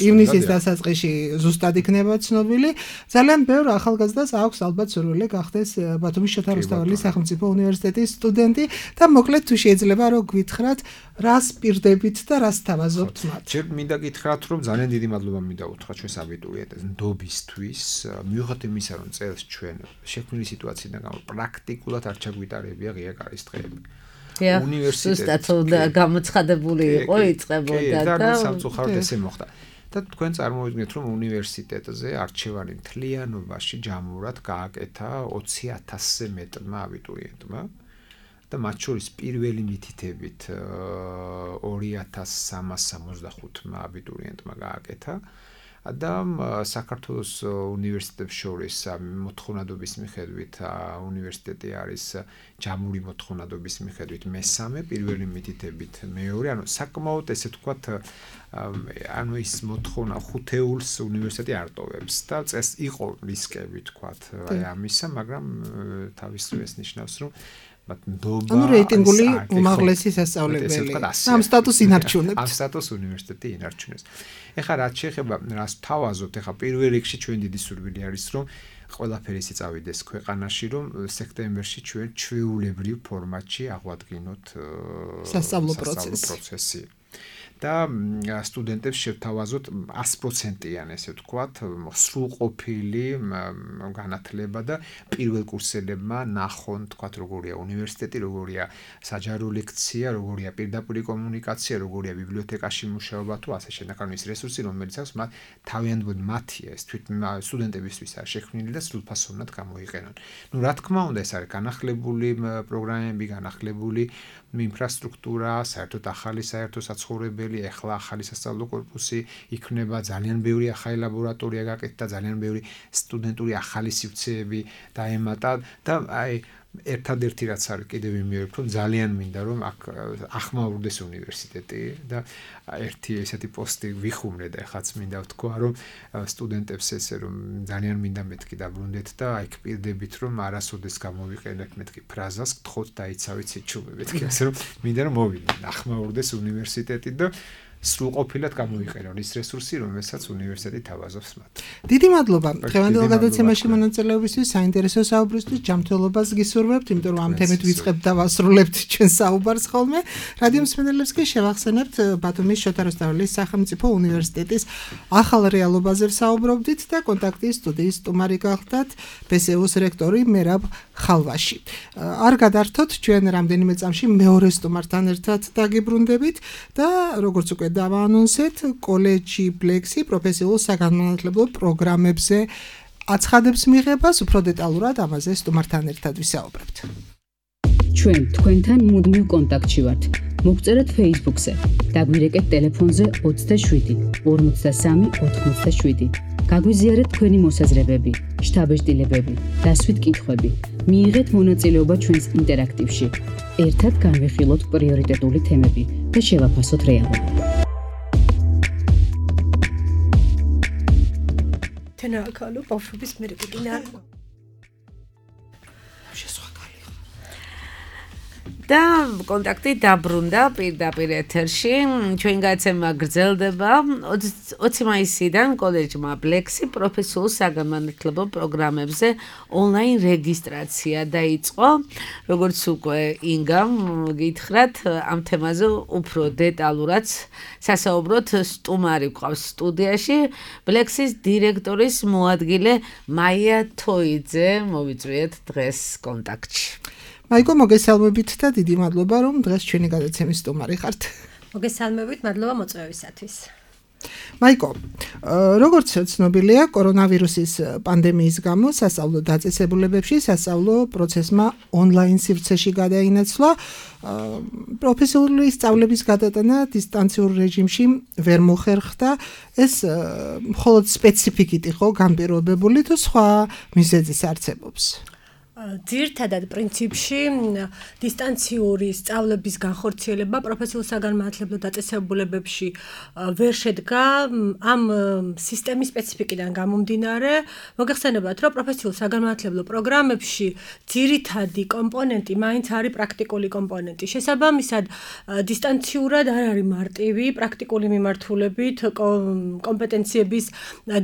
[SPEAKER 3] ივნისის დასაწყისში ზუსტად იქნება ცნობილი. ძალიან ბევრ ახალგაზრდას აქვს ალბათ სურვილი გახდეს ბათუმის შოთა რუსთაველის სახელმწიფო უნივერსიტეტის სტუდენტი და მოკლედ თუ შეიძლება რომ გვითხრათ რას პირდებით და რას თავაზობთ მათ.
[SPEAKER 4] ჯერ მინდა გითხრათ რომ ძალიან დიდი მადლობა მინდა უთხრა ჩვენს აბიტურიენტებს ნდობისთვის, მიუხედავად იმისა რომ წელს ჩვენ შექმნილი სიტუაციიდან გამო პრაქტიკულად არ ჩაგვიტარებია ღია კარის დღეები.
[SPEAKER 2] უნივერსიტეტი გამოცხადებული იყო იწყებოდა და
[SPEAKER 4] სამწუხაროდ ესე მოხდა. და თქვენ წარმოვიდგინეთ რომ უნივერსიტეტზე არჩევანი მთლიანობაში ჯამურად გააკეთა ოცი ათასზე მეტმა აბიტურიენტმა და მათ შორის პირველი მითითებით ორი ათას სამას სამოცდახუთმა აბიტურიენტმა გააკეთა და საქართველოს უნივერსიტეტებს შორის მოთხოვნადობის მიხედვით უნივერსიტეტი არის ჯამური მოთხოვნადობის მიხედვით მესამე, პირველი მითითებით მეორე, ანუ საკმაოდ ესე ვთქვათ ანუ ის მოთხოვნა ხუთეულს უნივერსიტეტი არ ტოვებს და წეს იყო რისკები ვთქვათ აი ამისა, მაგრამ თავისთავად ნიშნავს რომ
[SPEAKER 3] ანუ რეიტინგული უმაღლესი სასწავლებელი ამ სტატუსს ინარჩუნებს.
[SPEAKER 4] ამ სტატუსს უნივერსიტეტი ინარჩუნებს. ეხლა რაც შეეხება რას თავაზობთ, ეხლა პირველ რიგში ჩვენ დიდი სურვილი არის რომ ყველაფერი ისე წავიდეს ქვეყანაში, რომ სექტემბერში ჩვენ ჩვეულებრივ ფორმატში აღვადგინოთ
[SPEAKER 3] სასწავლო პროცესი.
[SPEAKER 4] პროცესი. და სტუდენტებს შევთავაზოთ ას პროცენტიან ესე ვთქვათ, სრულყოფილი განათლება და პირველ კურსელებმა ნახონ თქვათ როგორია უნივერსიტეტი, როგორია საჯარო ლექცია, როგორია პირდაპირ კომუნიკაცია, როგორია ბიბლიოთეკაში მუშაობა თუ ასე შემდეგ. ანუ ის რესურსი რომელიც აქვს მათ თავიანთი მათია ეს თვით სტუდენტებისთვის არის შექმნილი და სრულფასოვნად გამოიყენონ. ნუ რა თქმა უნდა ეს არის განახლებული პროგრამები, განახლებული ინფრასტრუქტურა, საერთოდ ახალი საერთო საცხოვრებელი, ეხლა ახალი სასწავლო კორპუსი იქნება, ძალიან ბევრი ახალი ლაბორატორია გაკეთდა, ძალიან ბევრი სტუდენტური ახალი სივრცეები დაემატა და აი ერთადერთი რაც არის კიდევ იმეორებ რომ ძალიან მინდა რომ აქ ახმაურდეს უნივერსიტეტი და ერთი ესეთი პოსტი ვიხუმრე და ეხაც მინდა ვთქვა რომ სტუდენტებს ესე რომ ძალიან მინდა მეთქი დაბრუნდეთ და აი პირდებით რომ არასოდეს გამოვიყენებ მეთქი ფრაზას გთხოვთ დაიცავით სიჩუმებით კი ასე რომ მინდა რომ მოვიდნენ ახმაურდეს უნივერსიტეტი და სრულყოფილად გამოიყენონ ის რესურსი, რომელსაც უნივერსიტეტი თავაზობს მათ.
[SPEAKER 3] დიდი მადლობა დღევანდელ გადაცემაში მონაწილეობისთვის, საინტერესო საუბრისთვის, ჯანმრთელობას გისურვებთ, იმიტომ რომ ამ თემით ვიწყებთ და ვასრულებთ ჩვენ საუბარს ხოლმე. რადიო მსმენელებს კი შევახსენებთ ბათუმის შოთა რუსთაველის სახელმწიფო უნივერსიტეტის ახალ რეალობაზე საუბრობდით და კონტაქტის სტუდიის სტუმარი გახდათ ბესეუს რექტორი მერაბ ხალვაში. არ გადართოთ ჩვენ რამდენიმე წამში მეორე სტუმართან ერთად დაგიბრუნდებით და როგორც უკვე დავაანონსეთ, კოლეჯი ბლექსი პროფესიულ საგანმანათლებლო პროგრამებზე აცხადებს მიღებას, უფრო დეტალურად ამაზე სტუმართან ერთად ვისაუბრებთ.
[SPEAKER 1] ჩვენ თქვენთან მუდმივ კონტაქტში ვართ. მოგწერეთ Facebook-ზე, დაგვირეკეთ ტელეფონზე ოცდაშვიდი ორმოცდასამი ოთხმოცდაშვიდი. გაგვიზიარეთ თქვენი მოსაზრებები, შთაბეჭდილებები, დასვით კითხვები. მიიღეთ მონაწილეობა ჩვენს ინტერაქტივში. ერთად განვიხილოთ პრიორიტეტული თემები და შევაფასოთ რეალობა.
[SPEAKER 5] თენაკალო ბავშვების მერეკინა და კონტაქტი დაბრუნდა პირდაპირ ეთერში. ჩვენ გაცემა გრძელდება ოცი მაისიდან კოლეჯმა ბლექსი პროფესიულ საგანმანათლებლო პროგრამებზე ონლაინ რეგისტრაცია დაიწყო. როგორც უკვე ინგამ გითხრათ, ამ თემაზე უფრო დეტალურად სასაუბროთ სტუმარი გვყავს სტუდიაში, ბლექსის დირექტორის მოადგილე მაია თოიძე. მოვიწვიეთ დღეს კონტაქტში.
[SPEAKER 3] მაიკო, მოგესალმებით და დიდი მადლობა რომ დღეს ჩვენი გადაცემის სტუმარი ხართ.
[SPEAKER 5] მოგესალმებით, მადლობა მოწვევისათვის.
[SPEAKER 3] მაიკო, როგორც ცნობილია, კორონავირუსის პანდემიის გამო სასწავლო დაწესებულებებში სასწავლო პროცესმა ონლაინ სივრცეში გადაინაცვლა. პროფესიული სწავლების გადატანა დისტანციურ რეჟიმში ვერ მოხერხდა. ეს მხოლოდ სპეციფიკით იყო განპირობებული თუ სხვა მიზეზის არსებობს?
[SPEAKER 5] ძირითადად პრინციპში დისტანციური სწავლების განხორციელება პროფესიულ საგანმანათლებლო დაწესებულებებში ვერ შედგა ამ სისტემის სპეციფიკიდან გამომდინარე. მოგეხსენებათ, რომ პროფესიულ საგანმანათლებლო პროგრამებში ძირითადი კომპონენტი მაინც არის პრაქტიკული კომპონენტი. შესაბამისად, დისტანციურად არ არის მარტივი პრაქტიკული მიმართულებით კომპეტენციების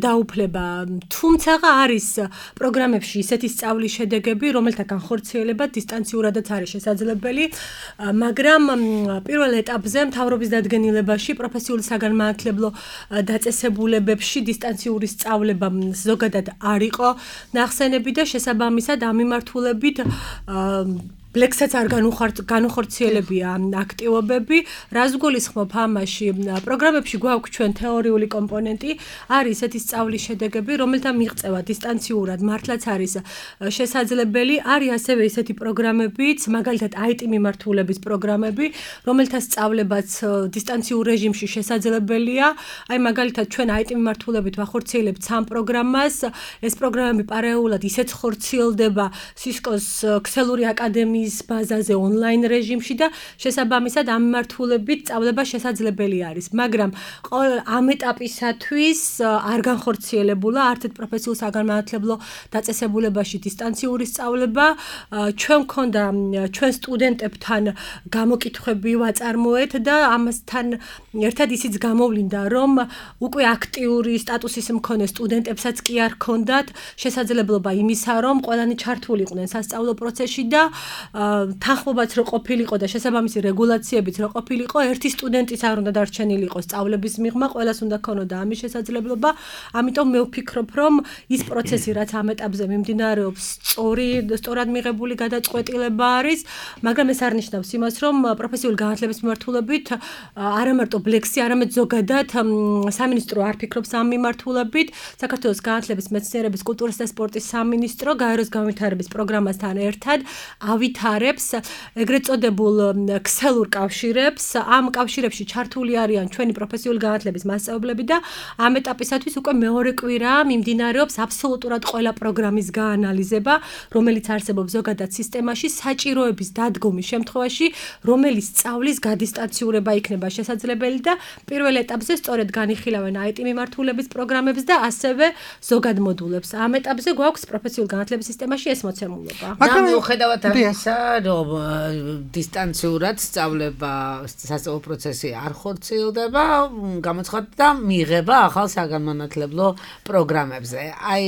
[SPEAKER 5] დაუფლება. თუმცა არის პროგრამებში ისეთი სწავლის შედეგები, რომელთა განხორციელება დისტანციურადაც არის შესაძლებელი, მაგრამ პირველ ეტაპზე მთავრობის დადგენილებაში პროფესიული საგანმანათლებლო დაწესებულებებში დისტანციური სწავლება ზოგადად არ იყო ნახსენები და შესაბამისად ამ მიმართულებით ბლექსაც არ განუხორციელებია აქტივობები. რას გულისხმობ ამაში? პროგრამებში გვაქვს ჩვენ თეორიული კომპონენტი, არის ესეთი სწავლის შედეგები, რომელთა მიღწევა დისტანციურად მართლაც არის შესაძლებელი. არის ასევე ესეთი პროგრამებიც, მაგალითად აი ტი მიმართულების პროგრამები, რომელთა სწავლებაც დისტანციურ რეჟიმში შესაძლებელია. აი მაგალითად ჩვენ აი ტი მიმართულებით ვახორციელებთ სამ პროგრამას. ეს პროგრამები პარალელურად ისეც ხორციელდება სისკოს ქსელური აკადემიის ბაზაზე ონლაინ რეჟიმში და შესაბამისად ამ მიმართულებით სწავლება შესაძლებელი არის, მაგრამ ამ ეტაპისათვის არ განხორციელებულა არც ერთ პროფესიულ საგანმანათლებლო დაწესებულებაში დისტანციური სწავლება. ჩვენ მქონდა ჩვენ სტუდენტებთან გამოკითხვები ვაწარმოეთ და ამასთან ერთად ისიც გამოვლინდა, რომ უკვე აქტიური სტატუსის მქონე სტუდენტებსაც კი არ ჰქონდათ შესაძლებლობა იმისა, რომ ყველანი ჩართულიყვნენ სასწავლო პროცესში და თანხმობაც რო ყოფილიყო და შესაბამისი რეგულაციებიც რო ყოფილიყო, ერთი სტუდენტიც არ უნდა დარჩენილიყო სწავლების მიღმა, ყველას უნდა ქონოდა ამის შესაძლებლობა. ამიტომ მე ვფიქრობ, რომ ის პროცესი, რაც ამ ეტაპზე მიმდინარეობს, სწორი, სწორად მიღებული გადაწყვეტილება არის, მაგრამ ეს არ ნიშნავს იმას, რომ პროფესიული განათლების მიმართულებით არა მარტო ბლექსი, არამედ ზოგადად სამინისტრო არ ფიქრობს ამ მიმართულებით. საქართველოს განათლების, მეცნიერების, კულტურის და სპორტის სამინისტრო გაეროს განვითარების პროგრამასთან ერთად ავითარებს ეგრეთ წოდებულ ქსელურ კავშირებს. ამ კავშირებში ჩართული არიან ჩვენი პროფესიული განათლების მასწავლებლები და ამ ეტაპისათვის უკვე მეორე კვირაა მიმდინარეობს აბსოლუტურად ყველა პროგრამის გაანალიზება, რომელიც არსებობს ზოგადად სისტემაში, საჭიროების დადგომის შემთხვევაში, რომელიც სწავლის გადისტანციურება იქნება შესაძლებელი და პირველ ეტაპზე სწორედ განიხილავენ აი ტი მიმართულების პროგრამებს და ასევე ზოგად მოდულებს. ამ ეტაპზე გვაქვს პროფესიული განათლების სისტემაში ეს მოცემულობა.
[SPEAKER 2] მაგრამ მიუხედავად ამისა, რომ დისტანციურად სწავლება, სასწავლო პროცესი არ ხორციელდება, გამოცხადდა მიღება ახალ საგანმანათლებლო პროგრამებზე. აი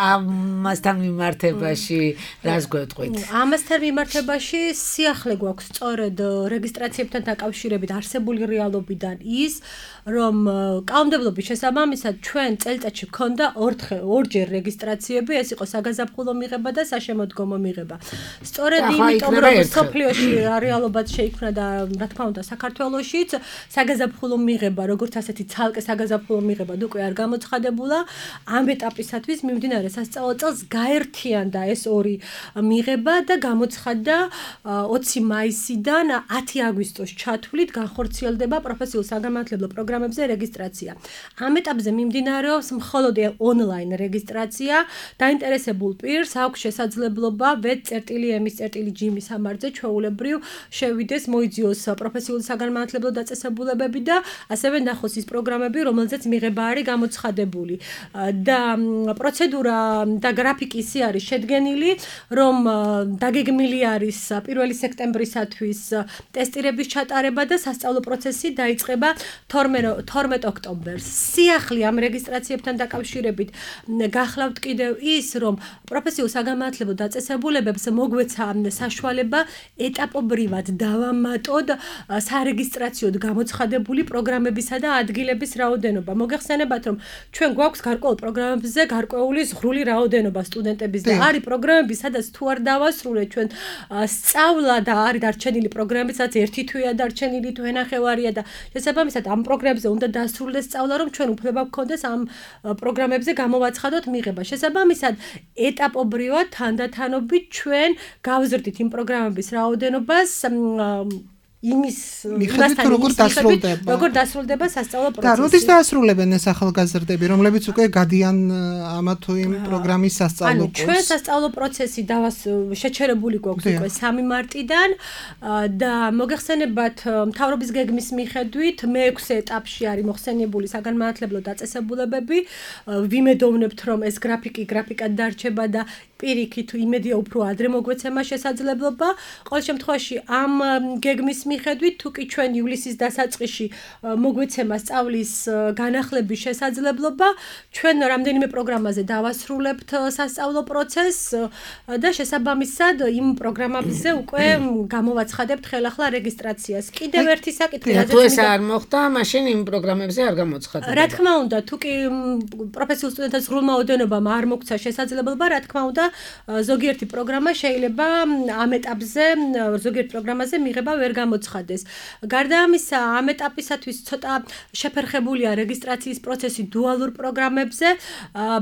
[SPEAKER 2] ამასთან მიმართებაში რას გვეტყვით?
[SPEAKER 5] ამასთან მიმართებაში სიახლე გვაქვს სწორედ რეგისტრაციებთან დაკავშირებით არსებული რეალობიდან ის, რომ კანონმდებლობის შესაბამისად ჩვენ წელიწადში გქონდა ორჯერ რეგისტრაციები, ეს იყო საგაზაფხულო მიღება და საშემოდგომო მიღება. სწორედ იმიტომ, რომ სოფლიოში რეალობად შეიქმნა და რა თქმა უნდა საქართველოშიც საგაზაფხულო მიღება, როგორც ასეთი ცალკე საგაზაფხულო მიღება უკვე არ გამოცხადებულა. ამ ეტაპისათვის მიმდინარე სასწავლო წელს გაერთიანდა ეს ორი მიღება და გამოცხადდა ოცი მაისიდან ათი აგვისტოს ჩათვლით განხორციელდება პროფესიულ საგანმანათლებლო პროგრამებზე რეგისტრაცია. ამ ეტაპზე მიმდინარეობს მხოლოდ ონლაინ რეგისტრაცია. დაინტერესებულ პირს აქვს შესაძლებლობა ვეტ წერტილი ემის წერტილი ჯიმის სამარზე ჩვეულებრივ შევიდეს, მოიძიოს პროფესიული საგანმანათლებლო დაწესებულებები და ასევე ნახოს ის პროგრამები, რომელზეც მიღება არის გამოცხადებული. და პროცედურა და გრაფიკი ისე არის შედგენილი, რომ დაგეგმილი არის პირველი სექტემბრისათვის ტესტირების ჩატარება და სასწავლო პროცესი დაიწყება თორმეტ ოქტომბერს. სიახლე ამ რეგისტრაციებთან დაკავშირებით გახლავთ კიდევ ის, რომ პროფესიულ საგანმანათლებლო დაწესებულებებს მოგვეცა საშუალება ეტაპობრივად დავამატოთ სარეგისტრაციოდ გამოცხადებული პროგრამებისა და ადგილების რაოდენობა. მოგეხსენებათ, რომ ჩვენ გვაქვს გარკვეულ პროგრამებზე გარკვეული ზღვრული რაოდენობა სტუდენტების და არის პროგრამები, სადაც თუ არ დავასრულეთ ჩვენ სწავლა და არის დარჩენილი პროგრამები, სადაც ერთი თვეა დარჩენილი, თუ ენახევარია და შესაბამისად ამ პროგრამებზე უნდა დასრულდეს სწავლა, რომ ჩვენ უფლება გქონდეს ამ პროგრამებზე გამოვაცხადოთ მიღება. შესაბამისად, ეტაპობრივად თანდათანობით ჩვენ გავზრდით იმ პროგრამების რაოდენობას იმის
[SPEAKER 3] მიხედვით როგორ დასრულდება
[SPEAKER 5] როგორ დასრულდება სასწავლო პროცესი.
[SPEAKER 3] და როდის დაასრულებენ ეს ახალგაზრდები, რომლებიც უკვე გადიან ამა თუ იმ პროგრამის სასწავლო კურსს?
[SPEAKER 5] ანუ ჩვენ სასწავლო პროცესი დავას შეჩერებული გვაქვს უკვე სამი მარტიდან და მოგეხსენებათ მთავრობის გეგმის მიხედვით მეექვსე ეტაპში არის მოხსენიებული საგანმანათლებლო დაწესებულებები. ვიმედოვნებთ რომ ეს გრაფიკი გრაფიკად დარჩება და პირიქით იმედია უფრო ადრე მოგვეცემა შესაძლებლობა. ყოველ შემთხვევაში ამ გეგმის მიხედვით თუ კი ჩვენ ივლისის დასაწყისში მოგვეცემა სწავლის განახლების შესაძლებლობა, ჩვენ რამდენიმე პროგრამაზე დავასრულებთ სასწავლო პროცესს და შესაბამისად იმ პროგრამებზე უკვე გამოვაცხადებთ ხელახლა რეგისტრაციას. კიდევ ერთი საკითხი,
[SPEAKER 2] რადგან თუ ეს არ მოხდა, მაშინ იმ პროგრამებზე არ გამოცხადება.
[SPEAKER 5] რა თქმა უნდა, თუ კი პროფესიულ სტუდენტთა სრულმა ოდენობამ არ მოგცა შესაძლებლობა, რა თქმა უნდა, ზოგიერთი პროგრამა შეიძლება ამ ეტაპზე, ზოგიერთ პროგრამაზე მიღება ვერ გამოცხადეს. გარდა ამისა, ამ ეტაპისათვის ცოტა შეფერხებულია რეგისტრაციის პროცესი დუალურ პროგრამებზე.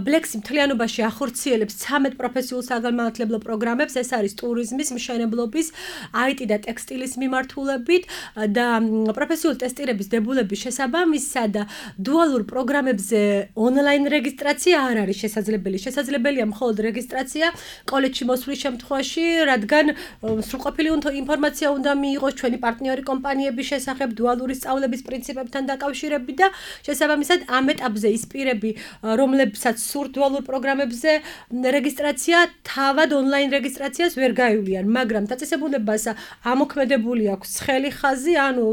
[SPEAKER 5] ბლექსი მთლიანობაში ახორციელებს ცამეტ პროფესიულ საგანმანათლებლო პროგრამებს, ეს არის ტურიზმის, მშენებლობის, აი ტი და ტექსტილის მიმართულებით და პროფესიული ტესტირების დებულების შესაბამისად დუალურ პროგრამებზე ონლაინ რეგისტრაცია არ არის შესაძლებელი. შესაძლებელია მხოლოდ რეგისტრაცია კოლეჯში მოსვლის შემთხვევაში, რადგან სრულყოფილი ინფორმაცია უნდა მიიღოს ჩვენი პარტნიორი კომპანიების შესახებ დუალური სწავლების პრინციპებთან დაკავშირებით და შესაბამისად ამ ეტაპზე ის პირები, რომლებსაც სურთ დუალურ პროგრამებზე რეგისტრაცია, თავად ონლაინ რეგისტრაციას ვერ გაივლიან, მაგრამ დაწესებულებას ამოქმედებული აქვს ცხელი ხაზი, ანუ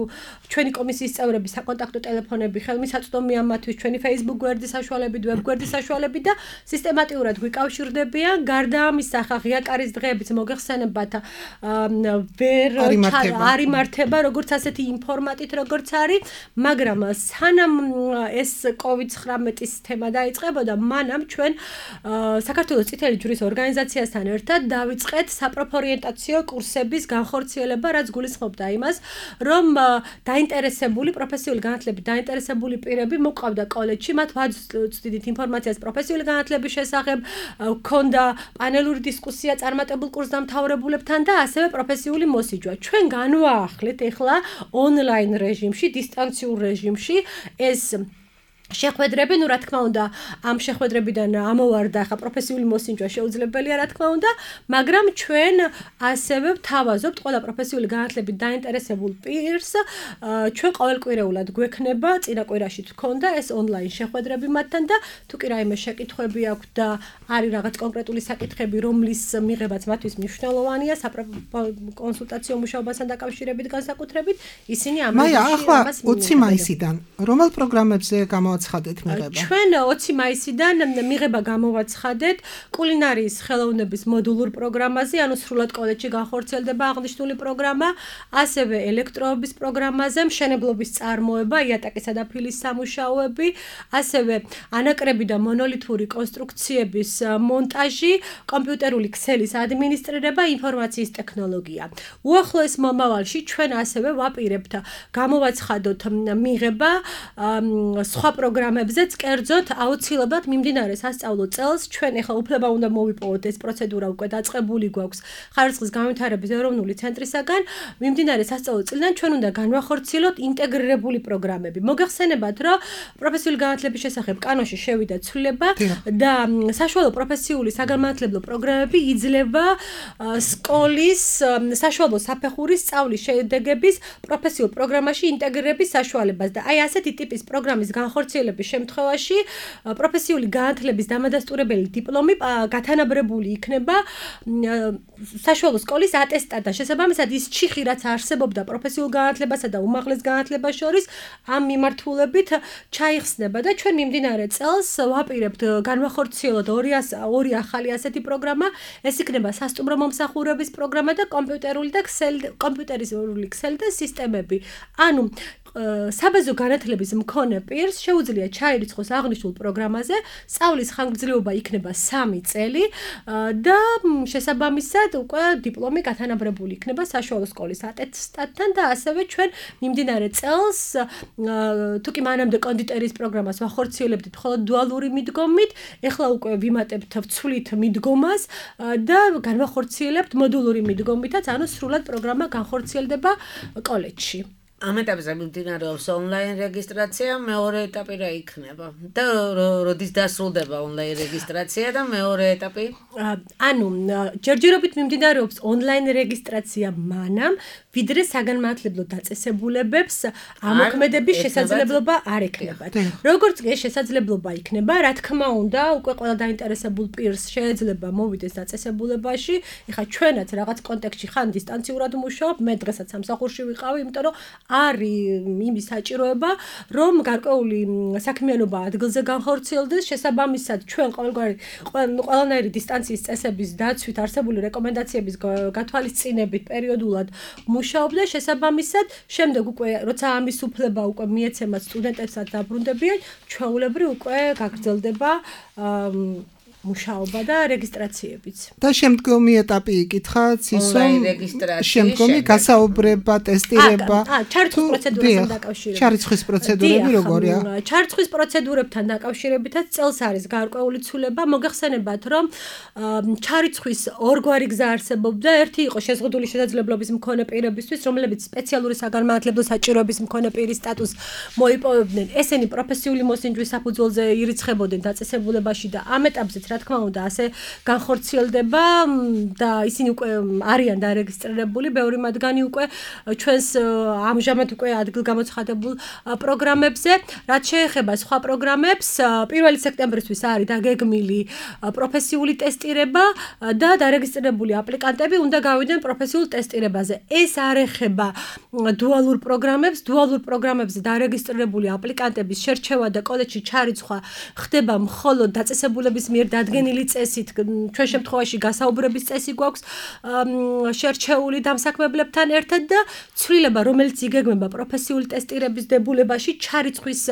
[SPEAKER 5] ჩვენი კომისიის წევრები საკონტაქტო ტელეფონები, ხელმისაწვდომია მათთვის ჩვენი Facebook გვერდის საშუალებით, ვებ გვერდის საშუალებით და სისტემატიურად გვიკავშირდებიან. გარდა ამისა, ხა ღია კარის დღეებიც მოგეხსენებათ ვერ არ იმართება როგორც ასეთი ინფორმატით როგორც არის, მაგრამ სანამ ეს კოვიდ ცხრამეტის თემა დაიწყებოდა, მანამ ჩვენ საქართველოს წითელი ჯვრის ორგანიზაციასთან ერთად დავიწყეთ საპროფორიენტაციო კურსების განხორციელება, რაც გულისხმობდა იმას, რომ დაინტერესებული პროფესიული განათლებით დაინტერესებული პირები მოყვავდა კოლეჯში, მათ ვაწვდით ინფორმაციას პროფესიული განათლების შესახებ, ქონდა პანელური დისკუსია წარმატებულ კურსდამთავრებულებთან და ასევე პროფესიული მოსიჯვა. ჩვენ განვაახლეთ ეხლა ონლაინ რეჟიმში, დისტანციურ რეჟიმში ეს შეხვედრები, ну, რა თქმა უნდა, ამ შეხვედრებიდან ამოვარდა ხა პროფესიული მოსინჯვა შეუძლებელია, რა თქმა უნდა, მაგრამ ჩვენ ასევე ვთავაზობთ ყველა პროფესიული განათლებით დაინტერესებულ პირს, ჩვენ ყოველკვირეულად გვექნება, წინა კვირაში თქონდა ეს ონლაინ შეხვედრები მათთან და თუ კი რაიმე შეკითხვები აქვს და არის რაღაც კონკრეტული საკითხები, რომლის მიღებაც მათთვის მნიშვნელოვანია საკონსულტაციო მუშაობასთან დაკავშირებით განსაკუთრებით, ისინი ამ
[SPEAKER 3] მაია, ახლა ოცი მაისიდან რომელ პროგრამებზე გამოვაცხადეთ მიღება?
[SPEAKER 5] ჩვენ ოცი მაისიდან მიღება გამოვაცხადეთ კულინარიის ხელოვნების მოდულურ პროგრამაზე, ანუ სრულად კოლეჯში განხორციელდება აღნიშნული პროგრამა, ასევე ელექტროობის პროგრამაზე, მშენებლობის წარმოება, იატაკისა და ფილის სამუშაოები, ასევე ანაკრები და მონოლითური კონსტრუქციების მონტაჟი, კომპიუტერული ქსელის ადმინისტრირება, ინფორმაციის ტექნოლოგია. უახლოეს მომავალში ჩვენ ასევე ვაპირებთ გამოვაცხადოთ მიღება სხვა პროგრამებზეც, კერძოდ აუცილებლად მიმდინარე სასწავლო წელს ჩვენ ახლა უფლება უნდა მოვიპოვოთ, ეს პროცედურა უკვე დაწყებული გვაქვს ხარისხის განვითარების ეროვნული ცენტრისაგან, მიმდინარე სასწავლო წლიდან ჩვენ უნდა განვახორციელოთ ინტეგრირებული პროგრამები. მოგეხსენებათ, რომ პროფესიული განათლების შესახებ კანონში შევიდა ცვლილება და საშუალო პროფესიული საგანმანათლებლო პროგრამები იძლევა სკოლის საშუალო საფეხურის სწავლის შედეგების პროფესიულ პროგრამაში ინტეგრირების საშუალებას და აი ასეთი ტიპის პროგრამის განხორციელების შემთხვევაში პროფესიული განათლების დამადასტურებელი დიპლომი გათანაბრებული იქნება საშუალო სკოლის ატესტატთან. შესაბამისად ის ჩიხი, რაც არსებობდა პროფესიულ განათლებასა და უმაღლეს განათლებას შორის, ამ მიმართულებით ჩაიხსნება და ჩვენ მიმდინარე წელს ვაპირებთ განვახორციელოთ ორი ახალი ასეთი პროგრამა, ეს იქნება სასტუმრო მომსახურების პროგრამა და კომპიუტერული და ქსელი კომპიუტერული ქსელი და სისტემები. ანუ საბაზო განათლების მქონე პირს შეუძლია ჩაირიცხოს აღნიშნულ პროგრამაზე, სწავლის ხანგრძლივობა იქნება სამი წელი და შესაბამისად უკვე დიპლომი გათანაბრებული იქნება საშუალო სკოლის ატესტატთან და ასევე ჩვენ მიმდინარე წელს თუ კი მანამდე კონდიტერის პროგრამას ვახორციელებდით მხოლოდ დუალური მიდგომით, ეხლა უკვე ვიმატებთ ვცვლით მიდგომას და განვახორციელებთ მოდულური მიდგომითაც, ანუ სრულად პროგრამა განხორციელდება კოლეჯში.
[SPEAKER 2] ამ ეტაპზე მიმდინარეობს ონლაინ რეგისტრაცია, მეორე ეტაპი რა იქნება? და როდის დასრულდება ონლაინ რეგისტრაცია და მეორე ეტაპი?
[SPEAKER 5] ანუ ჯერჯერობით მიმდინარეობს ონლაინ რეგისტრაცია მანამ, ვიდრე საგანმანათლებლო დაწესებულებებს ამოქმედების შესაძლებლობა არ ექნებათ. როგორც კი შესაძლებლობა იქნება, რა თქმა უნდა, უკვე ყველა დაინტერესებულ პირს შეიძლება მოვიდეს დაწესებულებაში. ეხლა ჩვენაც რაღაც კონტექსტში ხან დისტანციურად მუშაობ, მე დღესაც სამსახურში ვიყავი, იმიტომ რომ არის იმის საჭიროება, რომ გარკვეული საქმიანობა ადგილზე განხორციელდეს, შესაბამისად ჩვენ ყოველგვარი ყველანაირი დისტანციის წესების დაცვით არსებული რეკომენდაციების გათვალისწინებით პერიოდულად მუშაობდა, შესაბამისად, შემდეგ უკვე როცა ამის უფლება უკვე მიეცემათ სტუდენტებსაც დაბრუნდებიან, ჩვეულებრივ უკვე გაგრძელდება მუშაობა და რეგისტრაციებიც.
[SPEAKER 3] და შემდგომი ეტაპი იკითხა ცისომ შემდგომი გასაუბრება, ტესტირება.
[SPEAKER 5] აა, ჩარიცხვის პროცედურასთან დაკავშირებით.
[SPEAKER 3] ჩარიცხვის პროცედურები როგორია?
[SPEAKER 5] ჩარიცხვის პროცედურებთან დაკავშირებითაც წელს არის გარკვეული ცვლილება. მოგეხსენებათ, რომ ჩარიცხვის ორგვარი გზა არსებობდა. ერთი იყო შეზღუდული შესაძლებლობის მქონე პირებისთვის, რომლებიც სპეციალური საგანმანათლებლო საჭიროების მქონე პირის სტატუსს მოიპოვებდნენ. ესენი პროფესიული მოსინჯვის საფუძველზე ირიცხებოდნენ დაწესებულებაში და ამ ეტაპზე რა თქმა უნდა ასე განხორციელდება და ისინი უკვე არიან დარეგისტრირებული, ბევრი მათგანი უკვე ჩვენს ამჟამად უკვე ადგილგამოცხადებულ პროგრამებზე. რაც შეეხება სხვა პროგრამებს, პირველი სექტემბრისთვის არის დაგეგმილი პროფესიული ტესტირება და დარეგისტრირებული აპლიკანტები უნდა გავიდნენ პროფესიულ ტესტირებაზე. ეს არ ეხება დუალურ პროგრამებს, დუალურ პროგრამებზე დარეგისტრირებული აპლიკანტების შერჩევა და კოლეჯში ჩარიცხვა ხდება მხოლოდ დაწესებულების მიერ დადგენილი წესით, ჩვენ შემთხვევაში გასაუბრების წესი გვაქვს შერჩეული დამსაქმებლებთან ერთად და ცვლილება, რომელიც იგეგმება პროფესიული ტესტირების დებულებაში, ჩარიცხვის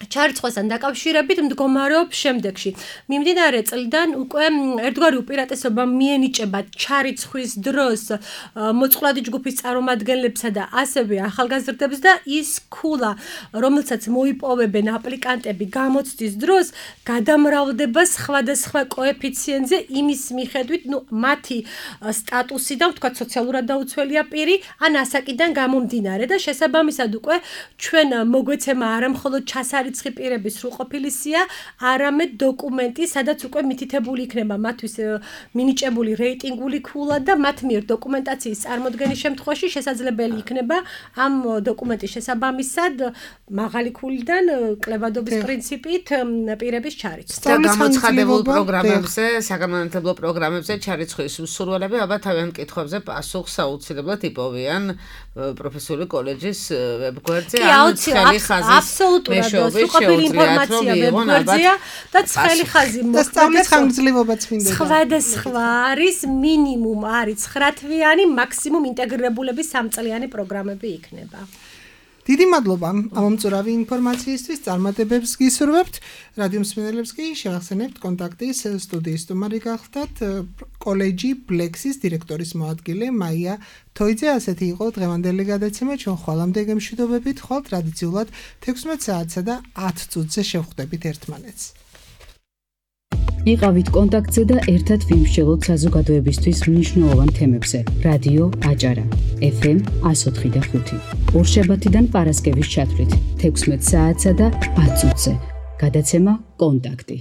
[SPEAKER 5] ჩარიცხვასთან დაკავშირებით მდგომარეობს შემდეგში. მიმდინარე წლიდან უკვე ერთგვარი უპირატესობა მიენიჭება ჩარიცხვის დროს მოწყვლადი ჯგუფის წარმომადგენლებსა და ასევე ახალგაზრდებს და ის ქულა, რომელსაც მოიპოვებენ აპლიკანტები გამოცდის დროს, გადამრავლდება სხვადასხვა კოეფიციენტზე იმის მიხედვით, ნუ მათი სტატუსიდან, ვთქვათ, სოციალურად დაუცველია პირი, ან ასაკიდან გამომდინარე და შესაბამისად უკვე ჩვენ მოგვეცემა არა მხოლოდ ჩასარი ცხი პირების სრულყოფილი სია, არამედ დოკუმენტი, სადაც უკვე მითითებული იქნება მათთვის მინიჭებული რეიტინგული ქულა და მათ მიერ დოკუმენტაციის წარმოდგენის შემთხვევაში შესაძლებელი იქნება ამ დოკუმენტის შესაბამისად მაღალი ქულიდან კლებადობის პრინციპით პირების ჩარიცხვა.
[SPEAKER 2] და გამოცხადებულ პროგრამებზე, საგანმანათლებლო პროგრამებზე ჩარიცხვის მსურველები ალბათ თავიანთ კითხვებზე პასუხს აუცილებლად იპოვიან პროფესიული კოლეჯის ვებგვერდზე, ან ცხელი ხაზის მეშვეობით
[SPEAKER 5] სრულყოფილი ინფორმაცია ვებგვერდზეა და ცხელი ხაზი
[SPEAKER 3] და სწავლის ხანგრძლივობაც მინდება.
[SPEAKER 5] სხვადასხვა არის, მინიმუმ არის ცხრა თვიანი, მაქსიმუმ ინტეგრირებულების სამწლიანი პროგრამები იქნება.
[SPEAKER 3] დიდი მადლობა ამომწურავი ინფორმაციისთვის, წარმატებებს გისურვებთ. რადიო მსმენელებს კი შევახსენებთ კონტაქტის სტუდიის სტუმარი გახლდათ კოლეჯი ბლექსის დირექტორის მოადგილე მაია თოიძე. ასეთი იყო დღევანდელი გადაცემა. ჩვენ ხვალამდე გემშვიდობებით, ხვალ ტრადიციულად თექვსმეტ საათსა და ათ წუთზე შევხვდებით ერთმანეთს.
[SPEAKER 1] იყავით კონტაქტზე და ერთად ვიმსჯელოთ საზოგადოებისთვის მნიშვნელოვან თემებზე. რადიო აჭარა ეფ ემ εκατო ოთხი და ხუთი. ორშაბათიდან პარასკევის ჩათვლით თექვსმეტ საათსა და ათ წუთზე. გადაცემა კონტაქტი.